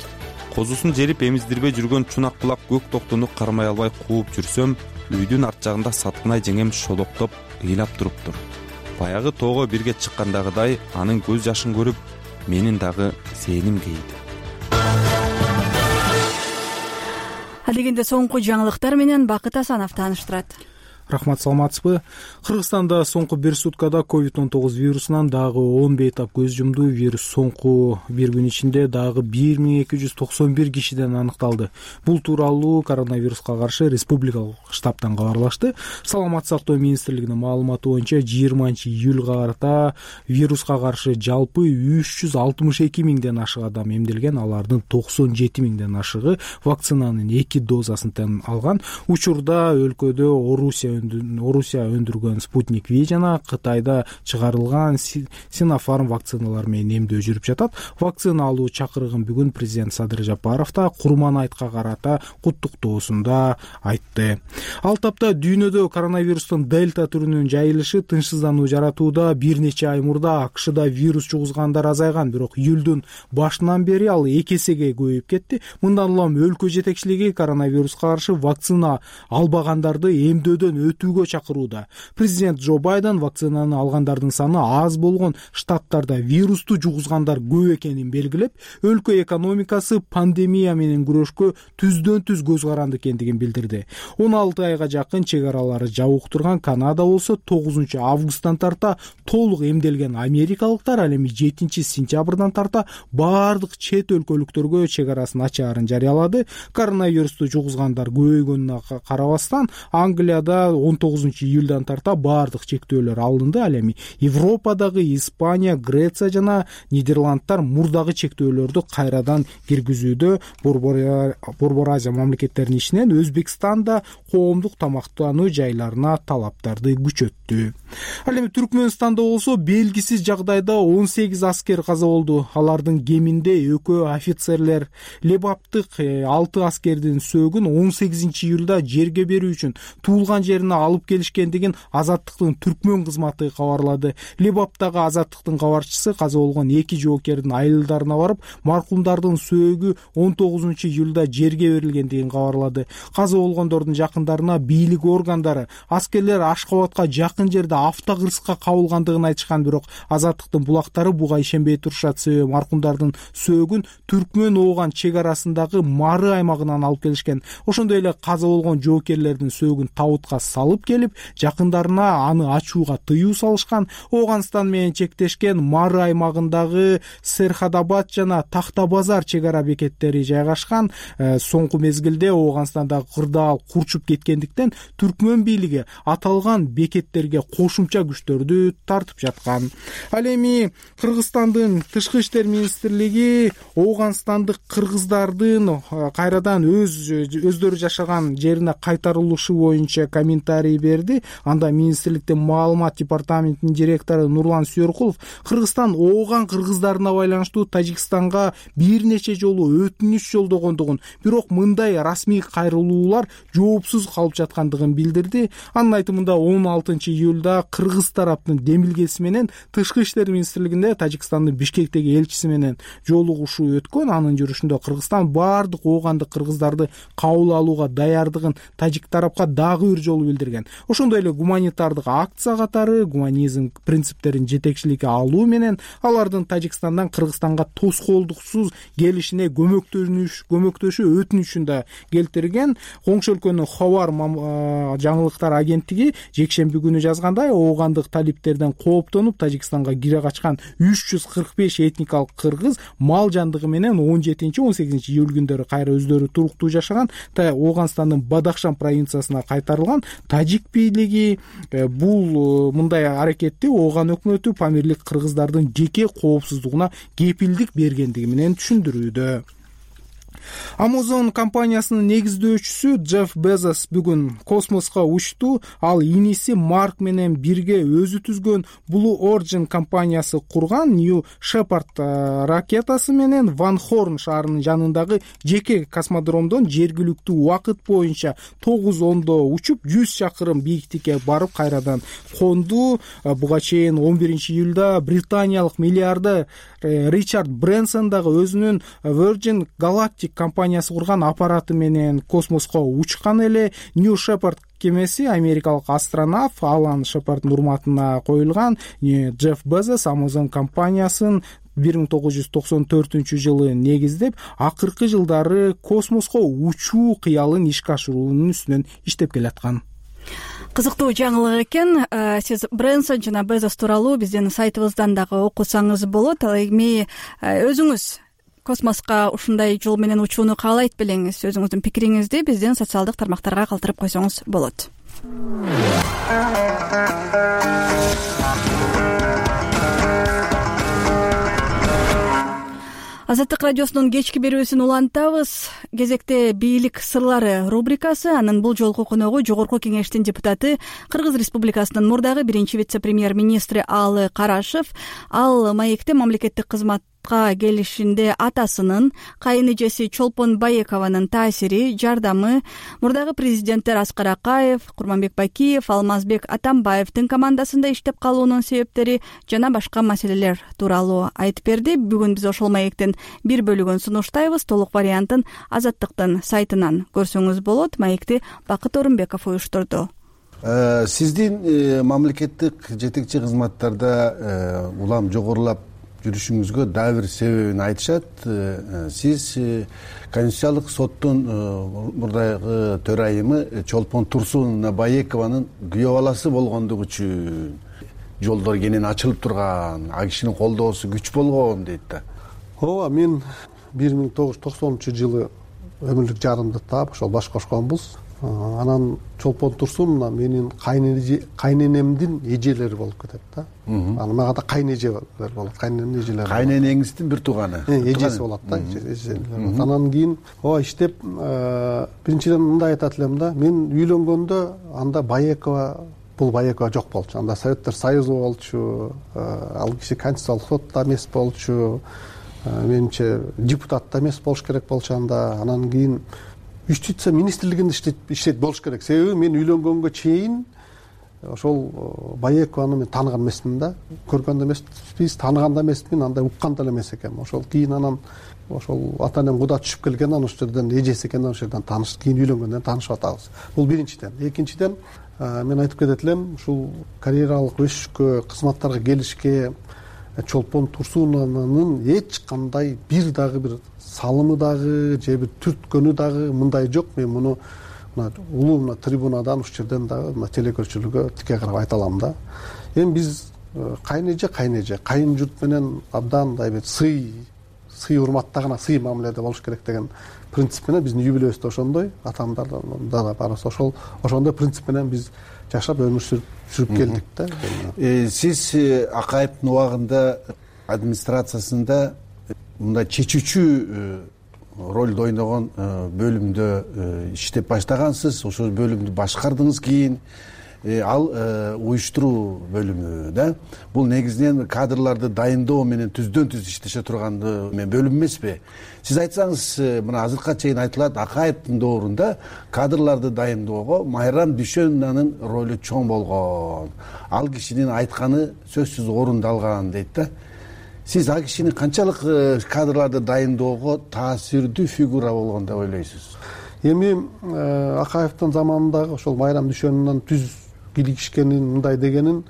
Speaker 5: Козусун жерип эмиздирбей жүргөн чунак кулак көк токтону кармай албай кууп жүрсөм, үйдүн арт жагында Саткынай жеңем шолоктоп ыйлап туруптур. Баягы тоого бирге чыккандагыдай анын көз жашын көрүп, менин дагы зээним кейди.
Speaker 1: Адегенде соңку жаңылыктар менен Бакыт Асанов тааныштырат.
Speaker 6: Рахмат, саламатсызбы? Кыргызстанда соңку бир суткада COVID-19 вирусунан дагы 10 бейтап көз жумду. Вирус соңку бир күн ичинде дагы 1291 кишиден аныкталды. Бул тууралуу коронавируска каршы республикалык штабтан кабарлашты. Саламаттык сактоо министрлигинин маалыматы боюнча 20-июлга карата вируска каршы жалпы 362 миңден ашык адам эмделген. Алардын 97 миңден ашыгы вакцинанын 2 дозасын алган. Учурда өлкөдө Орусия өндүргөн Спутник V жана Кытайда чыгарылган Синофарм вакциналар менен эмдөө жүрүп жатат. Вакцина алуу чакырыгын бүгүн президент Садыр Жапаров да Курманайтка карата куттуктоосунда айтты. Ал тапта дүйнөдө коронавирустун дельта түрүнүн жайылышы тынчсыздануу жаратууда. Бир нече ай мурда АКШда вирус жугузгандар азайган, бирок июлдун башынан бери ал 2 эсеге көбөйүп кетти. Мындан улам өлкө жетекчилиги коронавируска каршы вакцина албагандарды эмдөөдөн өтүүгө чакырууда. Президент Джо Байден вакцинаны алгандардын саны аз болгон штаттарда вирусту жугузгандар көп экенин белгилеп, өлкө экономикасы пандемия менен күрөшкө түздөн-түз көз каранды экендигин билдирди. 16 айга жакын чек аралары жабык турган Канада болсо 9 августтан тарта толук эмделген америкалыктар ал эми 7 сентябрдан тарта баардык чет өлкөлүктөргө чек арасын ачаарын жарыялады. Коронавирусту жугузгандар көбөйгөнүнө карабастан Англияда 19 июлдан тарта баардык чектөөлөр алынды. Ал эми Европадагы Испания, Греция жана Нидерландтар мурдагы чектөөлөрдү кайрадан киргизүүдө. Борбор Азия мамлекеттеринин ичинен Өзбекстанда коомдук тамактануу жайларына талаптарды күчөттү. Ал эми Түркмөнстанда болсо белгисиз жагдайда 18 аскер каза болду. Алардын кеминде экөө офицерлер. Лебаптык 6 аскердин сөөгүн 18 июлда жерге берүү үчүн туулган жерине алып келишкендигин Азаттыктын түркмөн кызматы кабарлады. Лебаптагы Азаттыктын кабарчысы каза болгон 2 жоокердин айылдарына барып, маркумдардын сөөгү 19 июлда жерге берилгендигин кабарлады. Каза болгондордун жакындарына бийлик органдары аскерлер Ашкабадка жакын жерде автокырсыкка кабылгандыгын айтышкан, бирок Азаттыктын булактары буга ишенбей турушат. Себеби маркумдардын сөөгүн түркмөн ооган чек арасындагы Мары аймагынан алып келишкен. Ошондой эле каза болгон жоокерлердин сөөгүн табытка салып келип, жакындарына аны ачууга тыюу салышкан. Ооганстан менен чектешкен Мары аймагындагы Серхадабад жана Тахтабазар чек ара бекеттери жайгашкан. Соңку мезгилде Ооганстандагы кырдаал курчуп кеткендиктен түркмөн бийлиги аталган бекеттерге кошумча күчтөрдү тартып жаткан. Ал эми Кыргызстандын тышкы иштер министрлиги Ооганстандык кыргыздардын кайрадан өздөрү жашаган жерине кайтарылышы боюнча комментарий берди. Анда министрликтин маалымат департаментинин директору Нурлан Сүйөркулов Кыргызстан ооган кыргыздарына байланыштуу Тажикстанга бир нече жолу өтүнүч жолдогондугун, бирок мындай расмий кайрылуулар жоопсуз калып жаткандыгын билдирди. Анын айтымында 16 июлда учурда кыргыз тараптын демилгеси менен Тышкы иштер министрлигинде Тажикстандын Бишкектеги элчиси менен жолугушуу өткөн. Анын жүрүшүндө Кыргызстан баардык оогандык кыргыздарды кабыл алууга даярдыгын тажик тарапка дагы бир жолу билдирген. Ошондой эле гуманитардык акция катары гуманизм принциптерин жетекчиликке алуу менен алардын Тажикстандан Кыргызстанга тоскоолдуксуз келишине көмөктөшүү өтүнүчүн да келтирген. Коңшу өлкөнүн Хабар жаңылыктар агенттиги жекшемби күнү жазгандай, оогандык талиптерден кооптонуп Тажикстанга кире качкан 345 этникалык кыргыз мал жандыгы менен 17-18 июль күндөрү кайра өздөрү туруктуу жашаган. Ооганстандын Бадахшан провинциясына кайтарылган. Тажик бийлиги бул мындай аракетти ооган өкмөтү памирлик кыргыздардын жеке коопсуздугуна кепилдик бергендиги менен түшүндүрүүдө. Amazon компаниясынын негиздөөчүсү Джефф Безос бүгүн космоско учту. Ал иниси Марк менен бирге өзү түзгөн Blue Origin компаниясы курган New Shepard ракетасы менен Ван Хорн шаарынын жанындагы жеке космодромдон жергиликтүү убакыт боюнча 9:10 учуп 100 чакырым бийиктикке барып кайрадан конду. Буга чейин 11-июлда британиялык миллиардер Ричард Брэнсон дагы өзүнүн Virgin Galactic компаниясы курган аппараты менен космоско учкан эле. New Shepard кемеси америкалык астронавт Алан Шепарддын урматына коюлган. Джефф Безос Amazon компаниясын 1994-жылы негиздеп, акыркы жылдары космоско учуу кыялын ишке ашыруунун үстүнөн иштеп келаткан.
Speaker 1: Кызыктуу жаңылык экен. Сиз Брэнсон жана Безос тууралуу биздин сайтыбыздан дагы окусаңыз болот. Ал эми өзүңүз космоско ушундай жол менен учууну каалайт белеңиз. Өзүңүздүн пикириңизди биздин социалдык тармактарга калтырып койсоңуз болот. Азаттык радиосунун кечки берүүсүн улантабыз. Кезекте бийлик сырлары рубрикасы. Анын бул жолку коногу Жогорку Кеңештин депутаты, Кыргыз Республикасынын мурдагы биринчи вице-премьер-министри Алы Карашев. Ал маекте мамлекеттик кызматка келишинде атасынын, кайын эжеси Чолпон Баекованын таасири, жардамы, мурдагы президенттер Аскар Акаев, Курманбек Бакиев, Алмазбек Атамбаевдин командасында иштеп калуунун себептери жана башка маселелер тууралуу айтып берди. Бүгүн биз ошол маектин бир бөлүгүн сунуштайбыз. Толук вариантын Азаттыктын сайтынан көрсөңүз болот. Маекти Бакыт Орунбеков уюштурду.
Speaker 8: Сиздин мамлекеттик жетекчи кызматтарда улам жогорулап жүрүшүңүзгө дагы бир себебин айтышат. Сиз Конституциялык соттун мурдагы төрайымы Чолпон Турсун Баекованын күйөө баласы болгондугу үчүн жолдор кенен ачылып турган, ал кишинин колдоосу күч болгон дейт да.
Speaker 9: Ооба, мен 1990-жылы өмүрлүк жарымды таап ошол баш кошконбуз. Анан Чолпон Турсун менин кайненемдин эжелери болуп кетет да. Аны мага да кайнэжелер болот. Кайненемдин эжелери.
Speaker 8: Кайненеңиздин бир тууганы.
Speaker 9: Эжеси болот да. Анан кийин иштеп биринчиден мындай айтат элем да. Мен үйлөнгөндө анда бул Баекова жок болчу. Анда Советтер Союзу болчу. Ал киши Конституциялык сотто эмес болчу. Менимче депутат да эмес болуш керек болчу анда. Анан кийин Юстиция министрлигинде иштейт болуш керек. Себеби мен үйлөнгөнгө чейин ошол Баекованы мен тааныган эмесмин да. Көргөн да эмеспиз, тааныган да эмесмин, андай уккан да эмес экенмин. Ошол кийин анан ошол ата-энем куда түшүп келген, анан ошол жерден эжеси экен, ошол жерден таанышып, кийин үйлөнгөндөн таанышып атабыз. Бул биринчиден. Экинчиден мен айтып кетет элем, ушул карьералык өсүшкө, кызматтарга келишке Чолпон Турсуновнун эч кандай бир дагы бир салымы дагы же бир түрткөнү дагы мындай жок. Мен муну улуу трибунадан ушул жерден дагы телекөрчүлүккө тике карап айта алам да. Эми биз кайын журт менен абдан мындай бир сый урматтаган, сый мамиледе болуш керек деген принцип менен биздин юбилейибизде ошондой, атамдардан да барасы ошондой принцип менен биз жашап өмүр сүрүп келдик да.
Speaker 8: Сиз Акаевдин убагында администрациясында мындай чечүүчү ролду ойногон бөлүмдө иштеп баштагансыз. Ошол бөлүмдү башкардыңыз. Кийин ал уюштуруу бөлүмү да. Бул негизинен кадрларды дайындоо менен түздөн түз иштеше турган бөлүм эмеспи? Сиз айтсаңыз, мына азыркыга чейин айтылат, Акаевдин доорунда кадрларды дайындоого Майрам Дүйшөнованын ролу чоң болгон. Ал кишинин айтканы сөзсүз орундалган дейт да. Сиз ал кишинин канчалык кадрларды дайындоого таасирдүү фигура болгон деп ойлойсуз?
Speaker 9: Эми Акаевдин заманындагы ошол Майрам Дүйшөнованын түз кийлигишкенин, мындай дегенин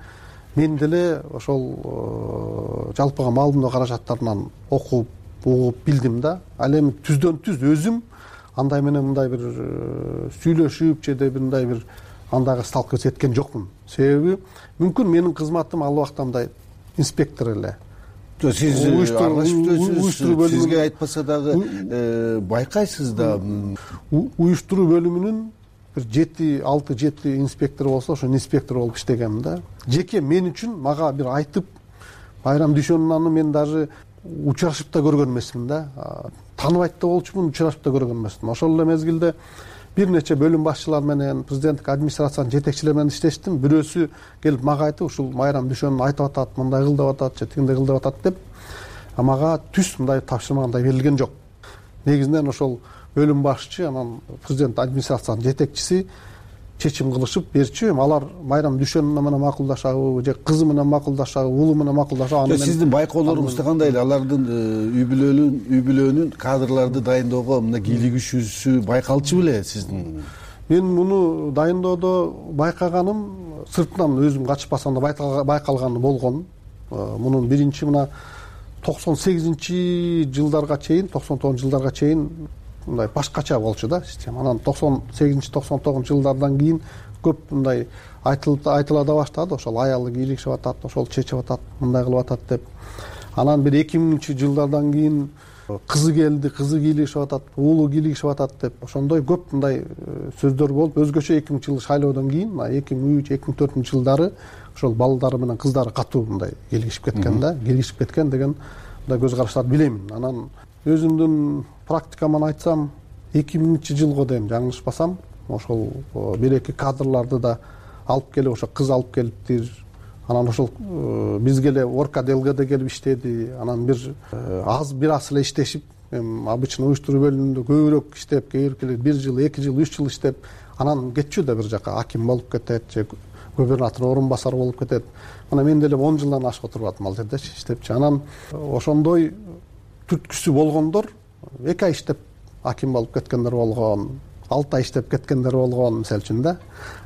Speaker 9: мен деле ошол жалпыга маалымдоо каражаттарынан окуп, угуп билдим да. Ал эми түздөн түз өзүм андай менен мындай бир сүйлөшүп же мындай бир андайга сталкиваться эткен жокмун. Себеби мүмкүн менин кызматым ал убакта мындай инспектор эле.
Speaker 8: Сиз аралашып сизге айтпаса дагы байкайсыз да.
Speaker 9: Уюштуруу бөлүмүнүн бир 6-7 инспектор болсо, ошо инспектор болуп иштегенмин да. Жеке мен үчүн мага бир айтып, Майрам Дүйшөнованны мен даже учурашып да көргөн эмесмин да. Тааныбайт да болчумун, учурашып да көргөн эмесмин. Ошол эле мезгилде бир нече бөлүм башчылар менен, президенттик администрациянын жетекчилери менен иштештим. Бирөөсү келип мага айтып, ушул Майрам Дүйшөнов айтып атат, мындай кыл деп атат, же тигиндей кыл деп атат деп. Мага түз мындай тапшырма андай берилген жок. Негизинен ошол бөлүм башчы, анан президент администрациянын жетекчиси чечим кылышып берчү. Алар Майрам Дүйшөнова менен макулдашабы, же кызы менен макулдашабы, уулу менен макулдашабы.
Speaker 8: Сиздин байкоолоруңузда кандай эле алардын үй бүлөнүн кадрларды дайындоого мына кийлигишүүсү байкалчу беле сиздин?
Speaker 9: Мен муну дайындоодо байкаганым сыртынан өзүм качпасам да байкалганы болгон. Мунун биринчи мына 98-жылдарга чейин, 99-жылдарга чейин мындай башкача болчу да система. Анан 98-99-жылдардан кийин көп мындай айтыла да баштады. Ошол аялы кийлигишип атат, ошол чечип атат, мындай кылып атат деп. Анан бир 2000-жылдардан кийин кызы келди, кызы кийлигишип атат, уулу кийлигишип атат деп. Ошондой көп мындай сөздөр болуп, өзгөчө 2000-жыл шайлоодон кийин, 2003-2004-жылдары ошол балдары менен кыздары катуу мындай кийлигишип кеткен да. Кийлигишип кеткен деген мындай көз караштарды билемин. Анан өзүмдүн практикаман айтсам, 2000-жылго дейм жаңылышпасам, ошол бир-эки кадрларды да алып келип, ошо кыз алып келиптир. Анан ошол бизге эле Орка ДЛГде келип иштеди. Анан бир аз эле иштешип, обычно уюштуруу бөлүмүндө көбүрөөк иштеп, кээ бир жыл, 2 жыл, 3 жыл иштеп, анан кетчү да бир жака аким болуп кетет, же губернатор орун басары болуп кетет. Мына мен деле 10 жылдан ашып отуруп атам ал жердечи иштепчи. Анан ошондой түрткүсү болгондор 2 ай иштеп аким болуп кеткендер болгон, 6 ай иштеп кеткендер болгон, мисалы үчүн да.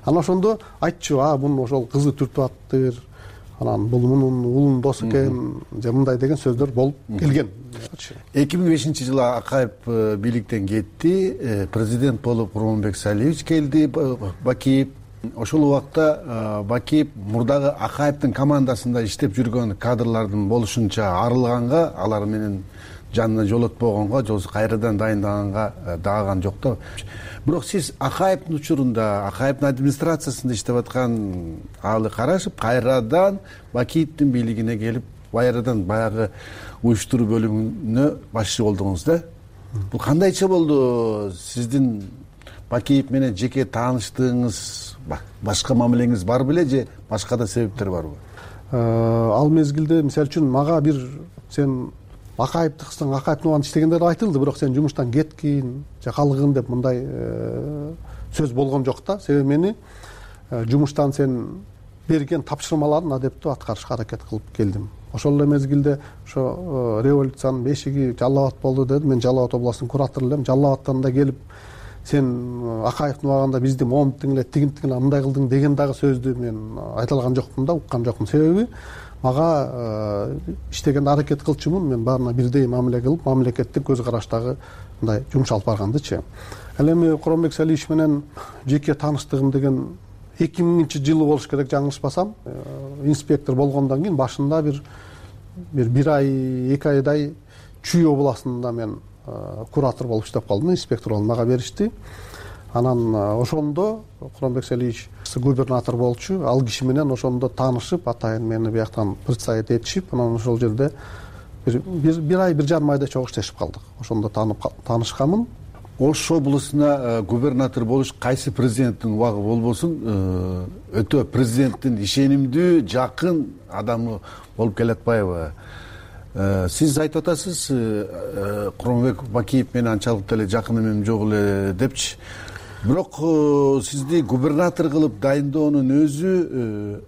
Speaker 9: Анан ошондо айтчу, бунун ошол кызы түртүп аттыр, анан бул мунун уулунун досу экен, же мындай деген сөздөр болуп келген.
Speaker 8: 2005-жылы Акаев бийликтен кетти, президент болуп Курманбек Салиевич келди, Бакиев. Ошол убакта Бакиев мурдагы Акаевдин командасында иштеп жүргөн кадрлардын болушунча арылганга, алар менен жанына жолотпогонго, же кайрадан дайындаганга даган жок да. Бирок сиз Акаевдин учурунда, Акаевдин администрациясында иштеп аткан Алы Карашев кайрадан Бакиевдин бийлигине келип, кайрадан баягы уюштуруу бөлүмүнө башчы болдуңуз да. Бул кандайча болду? Сиздин Бакиев менен жеке тааныштыгыңыз, башка мамилеңиз бар беле, же башка да себептер барбы?
Speaker 9: Ал мезгилде, мисалы үчүн, мага бир сен Акаевди кылсаң, Акаевдин убагында иштегендер айтылды, бирок сен жумуштан кеткин, же калгын деп мындай сөз болгон жок да. Себеби мени жумуштан сен берген тапшырмаларын адептүү аткарышка аракет кылып келдим. Ошол эле мезгилде ошо революциянын бешиги Жалал Абад болду деди. Мен Жалал Абад областынын куратору элем. Жалал Абадтан да келип, сен Акаевдин убагында бизди момуттуң эле, тигинтиң эле, мындай кылдың деген дагы сөздү мен айта алган жокмун да, уккан жокмун. Себеби мага иштегенде аракет кылчумун, мен баарына бирдей мамиле кылып, мамлекеттик көз караштагы мындай жумуш алып баргандычы. Ал эми Курманбек Салиевич менен жеке тааныштыгым деген 2000-жылы болуш керек, жаңылышпасам. Инспектор болгондон кийин башында бир ай, 2 айдай Чүй областында мен куратор болуп иштеп калдым, инспектор болуп мага беришти. Анан ошондо Курманбек Салиевич губернатор болчу, ал киши менен ошондо таанышып, атайын мени бияктан представить этишип, анан ошол жерде бир ай, 1,5 айда чогуу иштешип калдык. Ошондо таанышканмын.
Speaker 8: Ош облусуна губернатор болуш кайсы президенттин убагы болбосун өтө президенттин ишенимдүү жакын адамы болуп келатпайбы? Сиз айтып атасыз Куромбек Бакиев менен анчалык деле жакын эмем жок эле депчи. Бирок сизди губернатор кылып дайындоонун өзү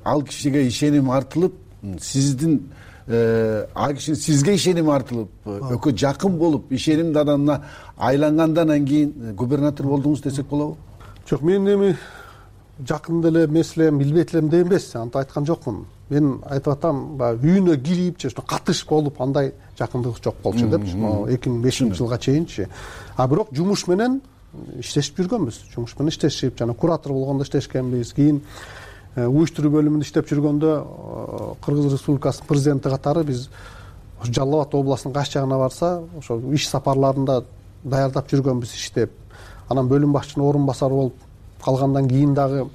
Speaker 8: ал кишиге ишеним артылып, сиздин ал кишинин сизге ишеним артылып, экөө жакын болуп, ишенимдүү адамына айлангандан кийин губернатор болдуңуз десек болобу?
Speaker 9: Жок, мен эми жакын деле эмес элем, билбейт элем деп эмес, антип айткан жокмун. Мен айтып атам, баягы үйүнө кирип же катыш болуп андай жакындык жок болчу депчи, 2005 жылга чейинчи. А бирок жумуш менен иштешип жүргөнбүз. Жумуш менен иштешип, жана куратор болгондо иштешкенбиз. Кийин уюштуруу бөлүмүндө иштеп жүргөндө Кыргыз Республикасынын президенти катары биз Жалал Абад областынын кайсы жагына барса, ошо иш сапарларында даярдап жүргөнбүз иштеп. Анан бөлүм башчынын орун басары болуп калгандан кийин дагы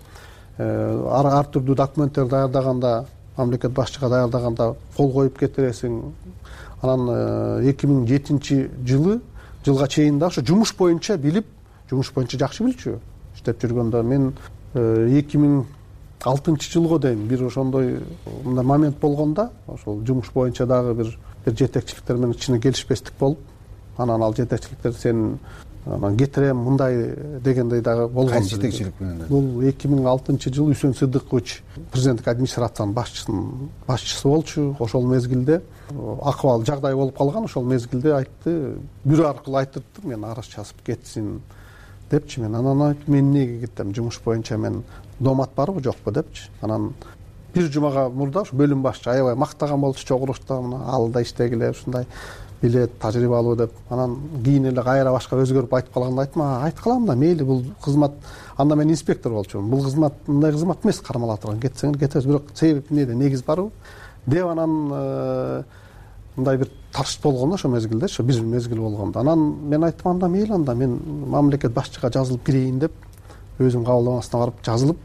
Speaker 9: ар түрдүү документтер даярдаганда, мамлекет башчыга даярдаганда кол коюп кетиресиң. Анан 2007 жылга чейин да ошо жумуш боюнча билип, жумуш боюнча жакшы билчү иштеп жүргөндө. Мен 2006 жылга дейин бир ошондой мындай момент болгондо, ошол жумуш боюнча дагы бир жетекчиликтер менен кичине келишпестик болуп, анан ал жетекчиликтер сен анан кетирем мындай дегендей дагы болгон.
Speaker 8: Кайсы жетекчилик менен?
Speaker 9: Бул 2006 жылы Үсөн Сыдыкович президенттик администрациянын башчысы болчу. Ошол мезгилде акыбал жагдай болуп калган, ошол мезгилде айтты, бирөө аркылуу айтырды, мен арыз жазып кетсин депчи. Мен анан айтып, мен эмнеге кетем, жумуш боюнча мен доомат барбы жокпу депчи. Анан бир жумага мурда ушу бөлүм башчы аябай мактаган болчу чогулушта, ал да иштегиле ушундай билет, тажрыйбалуу деп. Анан кийин эле кайра башка өзгөрүп айтып калганда айттым, айтып калам да, мейли, бул кызмат, анда мен инспектор болчумун, бул кызмат мындай кызмат эмес, кармала турган, кетсеңер кетебиз, бирок себеп эмнеде, негиз барбы деп. Анан мындай бир таршыт болгондо ошо мезгилде, ошо бир мезгил болгондо, анан мен айттым, анда мейли, анда мен мамлекет башчыга жазылып кирейин деп, өзүм кабылдамасына барып жазылып,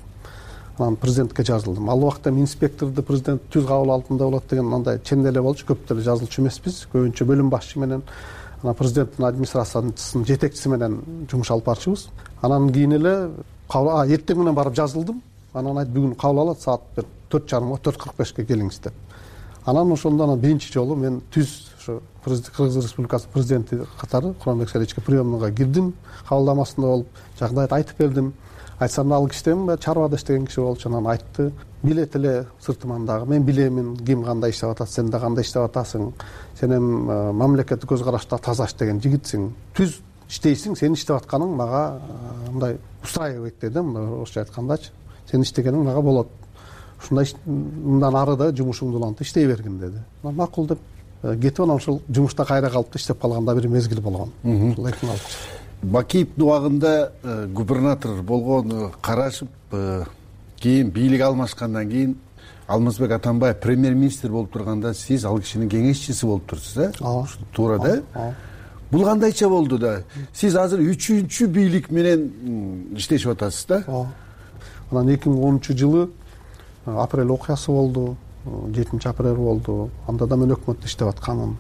Speaker 9: анан президентке жазылдым. Ал убакта инспекторду президент түз кабыл алдында болот деген андай чен эле болчу, көп деле жазылчу эмеспиз. Көбүнчө бөлүм башчы менен анан президенттин администрациясынын жетекчиси менен жумуш алып барчубыз. Анан кийин эле эртең менен барып жазылдым. Анан айтты, бүгүн кабыл алат, саат 4:45-ке келиңиз деп. Анан ошондо анан биринчи жолу мен түз ошо Кыргыз Республикасынын президенти катары Куромбек Саличке приемныйга кирдим, кабылдамасында болуп, жагдайды айтып бердим. Айтсам, ал кишиден чарбада иштеген киши болчу. Анан айтты, билет эле сыртыман дагы, мен билемин ким кандай иштеп атат, сен да кандай иштеп атасың, сен эми мамлекеттик көз карашта таза иштеген жигитсиң, түз иштейсиң, сенин иштеп атканың мага мындай устраивайт деди, мындай орусча айткандачы, сенин иштегениң мага болот, ушундай мындан ары да жумушуңду улантып иштей бергин деди. Макул деп кетип, анан ошол жумушта кайра калып иштеп калганда бир мезгил болгон.
Speaker 8: Бакиевдин убагында губернатор болгон карашып, кийин бийлик алмашкандан кийин Алмазбек Атамбаев премьер-министр болуп турганда сиз ал кишинин кеңешчиси болуп турсуз, ооба, туура да? Бул кандайча болду да? Сиз азыр 3-чү бийлик менен иштешип атасыз да?
Speaker 9: Ооба. Анан 2010 жылы апрель окуясы болду, 7 апрель болду. Анда да мен өкмөттө иштеп атканмын.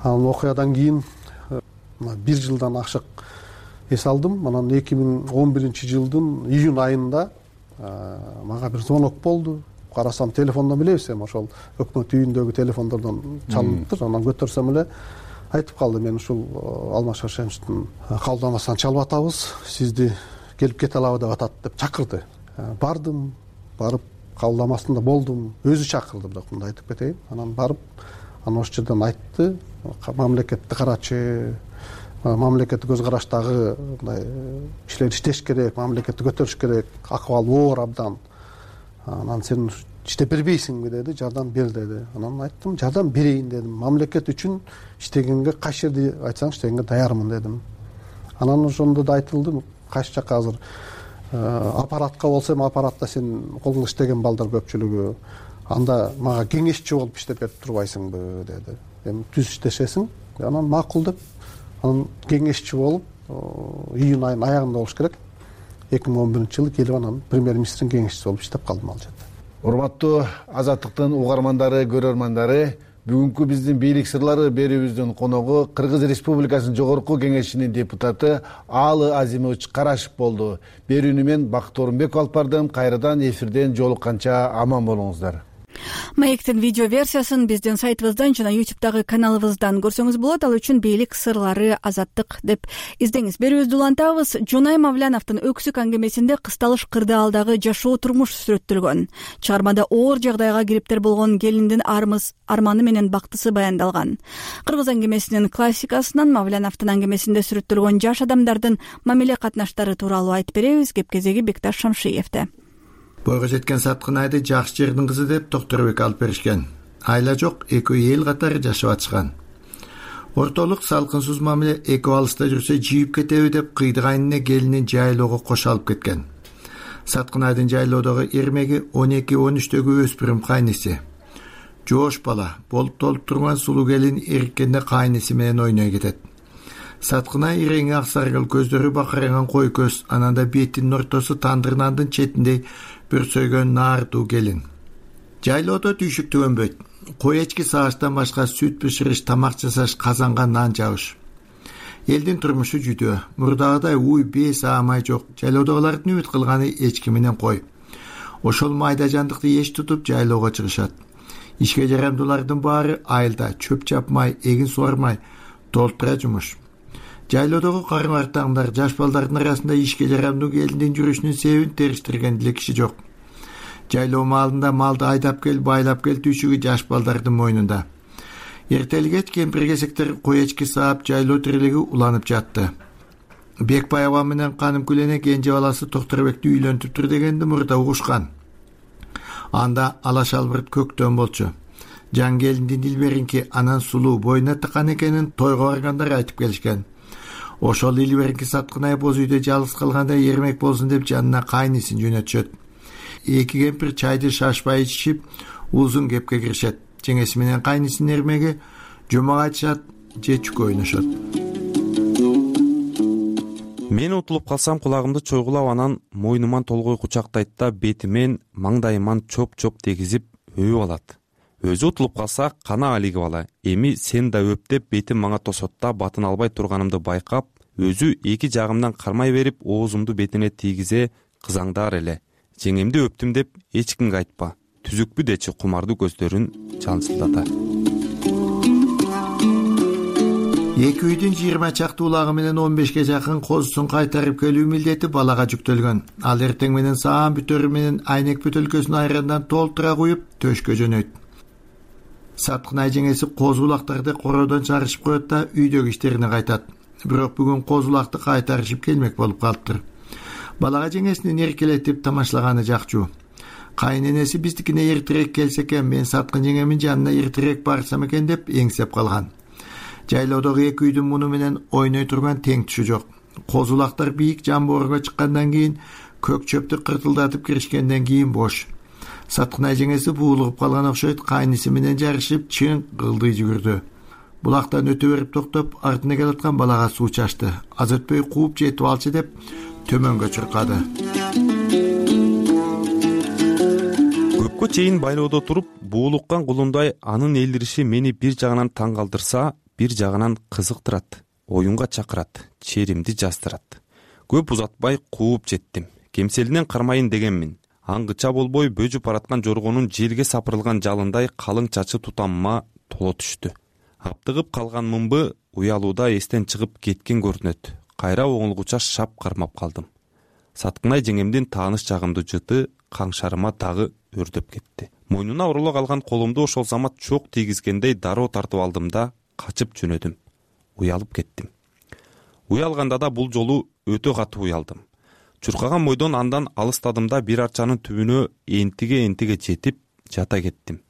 Speaker 9: Анан окуядан кийин бир жылдан ашык эс алдым. Анан 2011 жылдын июнь айында мага бир звонок болду. Карасам, телефондон билебиз, эми ошол өкмөт үйүндөгү телефондордон чалыныптыр. Анан көтөрсөм эле айтып калды, мен ушул Алмаз Шаршеновичтин кабылдамасынан чалып атабыз, сизди келип кете алабы деп атат деп чакырды. Бардым, барып кабылдамасында болдум, өзү чакырды, бирок мындай айтып кетейин. Анан барып, анан ошол жерден айтты, мамлекетти карачы, мамлекеттик көз караштагы мындай кишилер иштеш керек, мамлекетти көтөрүш керек, акыбал оор абдан. Анан сен иштеп бербейсиңби деди, жардам бер деди. Анан айттым, жардам берейин дедим. Мамлекет үчүн иштегенге кайсы жерде айтсаң иштегенге даярмын дедим. Анан ошондо да айтылды, кайсы жакка азыр аппаратка болсо эми аппаратта сен колуңда иштеген балдар көпчүлүгү, анда мага кеңешчи болуп иштеп берип турбайсыңбы деди. Эми түз иштешесиң. Анан макул деп, анан кеңешчи болуп июнь айынын аягында болуш керек. 2011 жылы келип анан премьер-министрдин кеңешчиси болуп иштеп калдым ал жерде.
Speaker 8: Урматтуу Азаттыктын угармандары, көрөрмандары, Бүгүнкү биздин бийлик сырлары берүүбүздүн коногу Кыргыз Республикасынын Жогорку Кеңешинин депутаты Аалы Азимович Карашев болду. Берүүнү мен Бакыт Орунбеков алып бардым. Кайрадан эфирден жолукканча аман болуңуздар.
Speaker 1: Маектин видео версиясын биздин сайтыбыздан жана YouTube'дагы каналыбыздан көрсөңүз болот. Ал үчүн бийлик сырлары азаттык деп издеңиз. Берүүбүздү улантабыз. Жунай Мавляновдун Өксүк аңгемесинде кысталыш кырдаалдагы жашоо турмуш сүрөттөлгөн. Чыгармада оор жагдайга кириптер болгон келиндин арманы менен бактысы баяндалган. Кыргыз аңгемесинин классикасынан Мавляновдун аңгемесинде сүрөттөлгөн жаш адамдардын мамиле катнаштары тууралуу айтып беребиз. Кеп кезеги Бекташ Шамшиевде.
Speaker 10: Бойго жеткен Саткынайды жакшы жердин кызы деп Токторбек алып беришкен. Айла жок, экөө эл катары жашап атышкан. Ортолук салкынсыз мамиле экөө алыста жүрсө жийип кетеби деп кыйдыгайнына келинин жайлоого кошо алып кеткен. Саткынайдын жайлоодогу эрмеги 12-13-төгү өспүрүм кайниси. Жоош бала, болуп толуп турган сулуу келин эриккенде кайниси менен ойной кетет. Саткынай иреңи ак саргыл, көздөрү бакыранган кой көз, ананда бетинин ортосу тандыр нандын четиндей бүрсөйгөн наардуу келин. Жайлоодо түйшүк түгөнбөйт. Кой эчки сагаштан башка сүт бышырыш, тамак жасаш, казанга нан жабыш. Элдин турмушу жүдөө. Мурдагыдай уй, бес аамай жок. Жайлоодогулардын үмүт кылганы эчки менен кой. Ошол майда жандыкты эч тутуп жайлоого чыгышат. Ишке жарамдуулардын баары айылда чөп чапмай, эгин суармай, толтура жумуш. Жайлоодогу карым-артаңдар, жаш балдардын арасында ишке жарамдуу келиндин жүрүшүнүн себебин териштирген деле киши жок. Жайлоо маалында малды айдап кел, байлап кел түйшүгү жаш балдардын мойнунда. Эртелгеч кемпир-кесектер кой эчки саап, жайлоо тирелеги уланып жатты. Бекбай аба менен Канымкүлене кенже баласы Токторбекти үйлөнтүптүр дегенди мурда угушкан. Анда ала шалбырт көктөн болчу. Жан келиндин Дилберинки анан сулуу боюна такан экенин тойго баргандар айтып келишкен. Ошол Дилберинки Саткынай боз үйдө жалгыз калганда эрмек болсун деп жанына кайнисин жөнөтүшөт. Эки кемпир чайды шашпай ичишип, узун кепке киришет. Жеңеси менен кайнисинин эрмеги жомок айтышат, же чүкө ойношот.
Speaker 5: Мен утулуп калсам кулагымды чойгулап, анан мойнуман толгой кучактайт да бетимен, маңдайыман чоп-чоп дегизип өбүп алат. Өзү утулуп калса, кана алигип ала. Эми сен да өп деп бетим мага тосот да батын албай турганымды байкап, өзү эки жагымдан кармай берип, оозумду бетине тийгизе кызаңдар эле. Жеңемди өптүм деп эч кимге айтпа. Түзүкпү дечи кумардуу көздөрүн чаңсылдата.
Speaker 10: Эки үйдүн 20 чакты улагы менен 15ке жакын козусун кайтарып келүү милдети балага жүктөлгөн. Ал эртең менен саам бүтөрү менен айнек бөтөлкөсүн айрандан толтура куюп төшкө жөнөйт. Саткынай жеңеси козу улактарды короодон чыгарышып коет да үйдөгү иштерине кайтат. Бирок бүгүн козу улакты кайтарышып келмек болуп калыптыр. Балага жеңесинин эркелетип тамашалаганы жакчу. Кайненеси биздикине эртерээк келсе экен, мен Саткын жеңемин жанына эртерээк барсам экен деп эңсеп калган. Жайлоодогу эки үйдүн муну менен ойной турган тең түшү жок. Козу улактар бийик жамбоорго чыккандан кийин, көк чөптү кыртылдатып киришкенден кийин бош. Саткынай жеңеси буулугуп калган окшойт, кайниси менен жарышып чың кылдый жүгүрдү. Булактан өтө берип токтоп, артына келаткан балага суу чачты. Аз өтпөй кууп жетип алчы деп төмөнгө чуркады.
Speaker 5: Көпкө чейин байлоодо туруп, буулуккан кулундай анын элдириши мени бир жагынан таң калтырса, бир жагынан кызыктырат, оюнга чакырат, черимди жаздырат. Көп узатпай кууп жеттим. Кемселинен кармайын дегенмин. Аңгыча болбой бөжүп бараткан жоргонун желге сапырылган жалындай калың чачы тутамыма толо түштү. Аптыгып калган мымбы уялууда эстен чыгып кеткен көрүнөт. Кайра оңолгуча шап кармап калдым. Саткынай жеңемдин тааныш жагымды жыты каңшарыма дагы өрдөп кетти. Мойнуна ороло калган колумду ошол замат чок тийгизгендей дароо тартып алдым да качып жөнөдүм. Уялып кеттим. Уялганда да бул жолу өтө катуу уялдым. Чуркаган бойдон андан алыстадым да бир арчанын түбүнө энтиге жетип жата кеттим.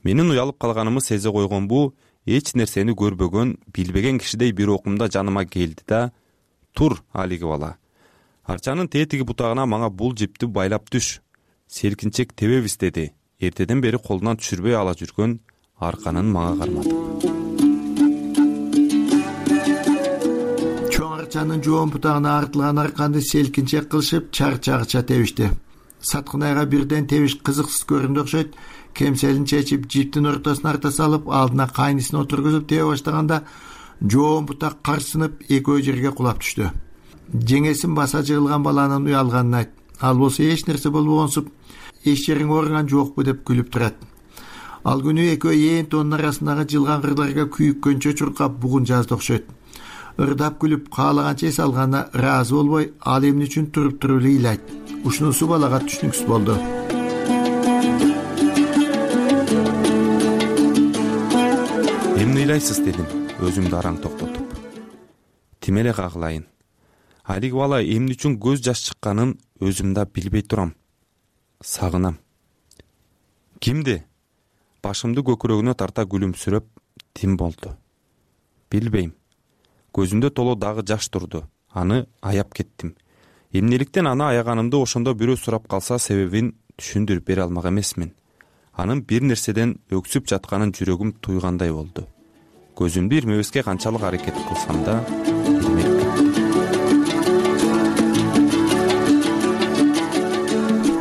Speaker 5: Менин уялып калганымы сезе койгон бу эч нерсени көрбөгөн, билбеген кишидей бир окумда жаныма келди да: "Тур, алиги бала. Арчанын тетиги бутагына мага бул жипти байлап түш. Селкинчек тебебиз" деди. Эртеден бери колунан түшүрбөй ала жүргөн арканын мага карматып.
Speaker 10: Арчанын жоон бутагына артылган арканды селкинчек кылышып чарчагыча тебишти. Саткынайга бирден тебиш кызыксыз көрүндү окшойт. кемселин чечип жиптин ортосуна арта салып алдына кайнысын отургузуп тебе баштаганда жоон бутак карсынып экөө жерге кулап түштү. Жеңесин баса жыгылган баланын уялганын айт. Ал болсо эч нерсе болбогонсуп эч жериң ооруган жокпу деп күлүп турат. Ал күнү экөө ээн тоонун арасындагы жылган кырларга күйүккөнчө чуркап бугун жазды окшойт. Ырдап күлүп каалаганча эс алганына ыраазы болбой, ал эмне үчүн туруп эле ыйлайт. Ушунусу балага түшүнүксүз болду.
Speaker 5: Эмне ыйлайсыз дедим, өзүмдү араң токтотуп. Тим эле кагылайын. Алиги бала эмне үчүн көз жаш чыкканын өзүм да билбей турам. Сагынам. Кимди? Башымды көкүрөгүнө тарта күлүмсүрөп, Тим болду. Билбейм. Көзүндө толо дагы жаш турду. Аны аяп кеттим. Эмнеликтен аны аяганымды ошондо бирөө сурап калса себебин түшүндүрүп бере алмак эмесмин. Анын бир нерседен өксүп жатканын жүрөгүм туйгандай болду. Көзүмдү ирмебеске канчалык аракет кылсам да ирмеп кеттим.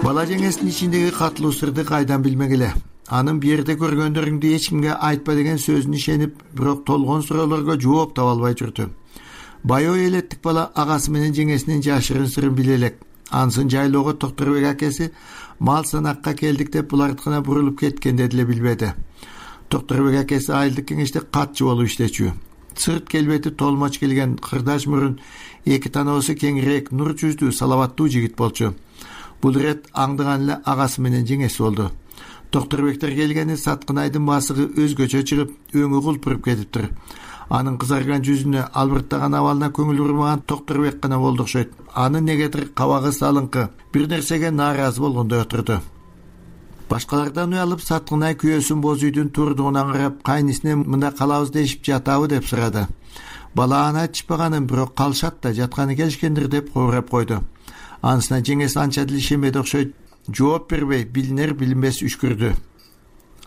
Speaker 10: Бала жеңесинин ичиндеги катылуу сырды кайдан билмегиле. Анын бу жерде көргөндөрүңдү эч кимге айтпа деген сөзүн ишенип, бирок толгон суроолорго жооп таба албай жүрдү. Баяу элеттик бала агасы менен жеңесинин жашырын сырын биле элек. Ансын жайлоого Токторбек акеси мал санакка келдик деп булардыкына бурулуп кеткенде деле билбеди. Токторбек акеси айылдык кеңеште катчы болуп иштечү. Сырт келбети толмоч келген кырдаш мурун, эки танабысы кеңирээк, нур жүздүү, салабаттуу жигит болчу. Бул ирет аңдыган эле агасы менен жеңеси болду. Токторбектер келгени Саткынайдын басыгы өзгөчө чыгып, өңү кулпуруп кетиптир. Анын кызарган жүзүнө, албырттаган абалына көңүл бурмаган Токторбек гана болду окшойт. Анын негедир кабагы салыңкы, бир нерсеге нааразы болгондой отурду. Башкалардан уялып, Саткынай күйөөсүн боз үйдүн турдугунан карап, кайнысына мында калабыз дешип жатабы деп сурады. Бала аны айтышпаганын, бирок калышат да жатканы келишкендир деп кобурап койду. Анысына жеңеси анча деле ишенбеди окшойт. Жооп бербей, билинер билинбес үшкүрдү.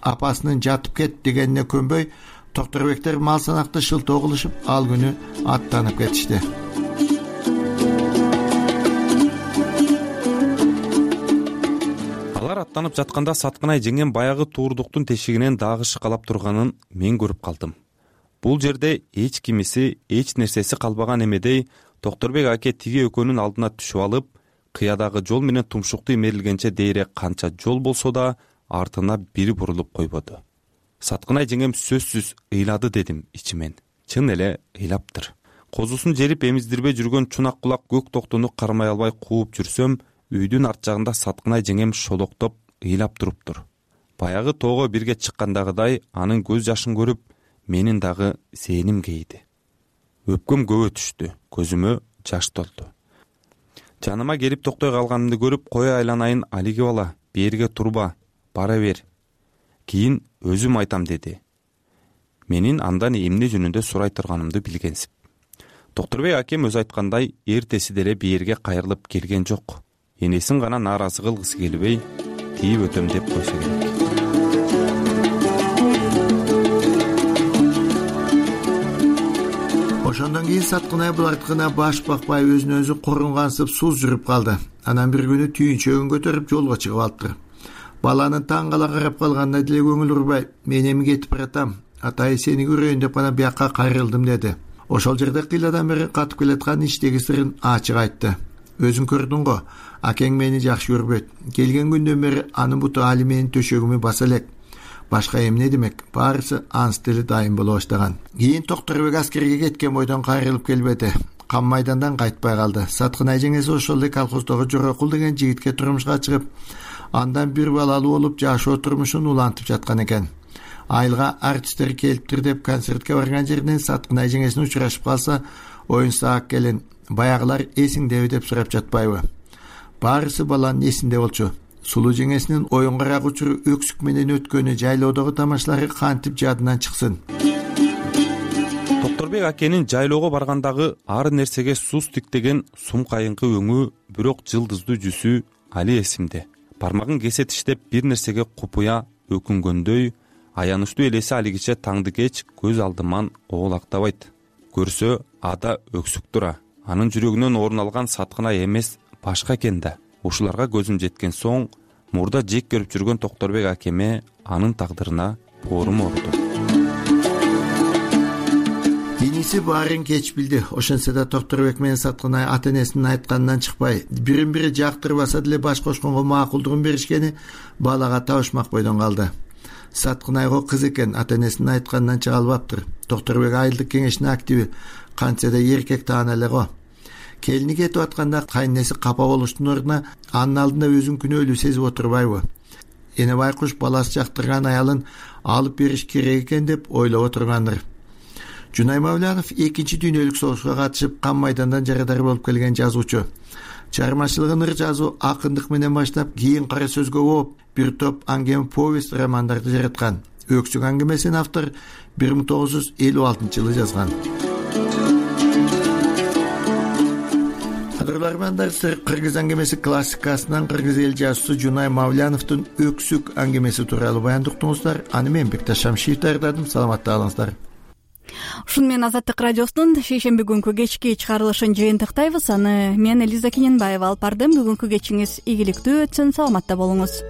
Speaker 10: Апасынын жатып кет дегенине көнбөй, Токторбектер мал санакты шылтоо кылышып, ал күнү аттанып кетишти.
Speaker 5: Алар аттанып жатканда Саткынай жеңем баягы туурдуктун тешигинен дагы шыкалап турганын мен көрүп калдым. Бул жерде эч кимиси, эч нерсеси калбаган эмедей Токторбек аке тиги экөөнүн алдына түшүп алып, кыядагы жол менен тумшукту имерилгенче дейре канча жол болсо да артына бир бурулуп койбоду. Саткынай жеңем сөзсүз ыйлады дедим ичимен. Чын эле ыйлаптыр. Козусун жерип эмиздирбей жүргөн чунак кулак көк токтуну кармай албай кууп жүрсөм, үйдүн арт жагында Саткынай жеңем шолоктоп ыйлап туруптур. Баягы тоого бирге чыккандагыдай анын көз жашын көрүп, менин дагы зээним кейди. Өпкөм көбө түштү, көзүмө жаш толду. Жаныма келип токтой калганымды көрүп, кой айланайын Алиги бала, берге турба, бара бер. Кийин өзүм айтам деди. Менин андан эмне жөнүндө сурай турганымды билгенсип. Токторбек акем өзү айткандай, эртеси деле берге кайрылып келген жок. Энесин гана нааразы кылгысы келбей, тийип өтөм деп койсо керек.
Speaker 10: Ошондон кийин Саткынай булардыкына баш бакпай өзүнө өзү корунгансып суз жүрүп калды. Анан бир күнү түйүнчөгүн көтөрүп жолго чыгып алыптыр. Баланын таң кала карап калганына деле көңүл урбай, мен эми кетип баратам, атай сени көрөйүн деп гана бияка кайрылдым деди. Ошол жерде кыйладан бери катып келаткан ичтеги сырын ачык айтты. Өзүң көрдүң го, акең мени жакшы көрбөйт. Келген күндөн бери анын буту али менин төшөгүмү баса элек. Башка эмне демек, баарысы анс деле дайым боло баштаган. Кийин Токторбек аскерге кеткен бойдон кайрылып келбеди. Кам майдандан кайтпай калды. Саткынай жеңеси ошол эле колхоздогу Жорокул деген жигитке турмушка чыгып, андан бир балалуу болуп жашоо турмушун улантып жаткан экен. Айылга артисттер келиптир деп концертке барган жеринен Саткынай жеңесине учурашып калса, оюн саак келин, баягылар эсиңдеби деп сурап жатпайбы? Баарысы баланын эсинде болчу. Сулуу жеңесинин оюнгарак учуру өксүк менен өткөнү, жайлоодогу тамашалары кантип жадынан чыксын.
Speaker 5: Токторбек акенин жайлоого баргандагы ар нерсеге суз тиктеген сум кайыңкы өңү, бирок жылдыздуу жүзү али эсимде. Бармагын кесе тиштеп бир нерсеге купуя өкүнгөндөй, аянычтуу элеси алигиче таңды кеч көз алдыман оолактабайт. Көрсө ада өксүк тура. Анын жүрөгүнөн орун алган Саткынай эмес, башка экен да. Ушуларга көзүм жеткен соң, мурда жек көрүп жүргөн Токторбек акеме анын тагдырына орун оруду.
Speaker 10: Иниси баарын кеч билди. Ошентсе да Токторбек менен Саткынай ата энесинин айтканынан чыкпай, бирин бири жактырбаса деле баш кошконго макулдугун беришкени балага табышмак бойдон калды. Саткынайго кыз экен, ата энесинин айтканынан чыга албаптыр. Токторбек айылдык кеңештин активи, кантсе да эркек таана эле го. Келини кетип атканда кайненеси капа болуштун ордуна анын алдында өзүн күнөөлүү сезип отурбайбы? Эне байкуш баласы жактырган аялын алып бериш керек экен деп ойлоп отургандыр. Жунай Мавлянов экинчи дүйнөлүк согушка катышып, кан майдандан жарадар болуп келген жазуучу. Чыгармачылыгын ыр жазуу, акындык менен баштап, кийин кара сөзгө ооп, бир топ аңгем повесть романдарды жараткан. Өксүк аңгемесин автор 1956-жылы жазган. Кадырлармандар, кыргыз аңгемеси классикасынан кыргыз эл жазуучусу Жунай Мавляновдун Өксүк аңгемеси тууралуу баяндыктыңыздар. Аны мен Бекташ Шамшиев даярдадым. Саламатта калыңыздар.
Speaker 1: Ушуну менен Азаттык радиосунун шейшемби күнкү кечки чыгарылышын жыйынтыктайбыз. Аны мен Элиза Кененбаева алып бардым. Бүгүнкү кечиңиз ийгиликтүү өтсүн, саламатта болуңуз.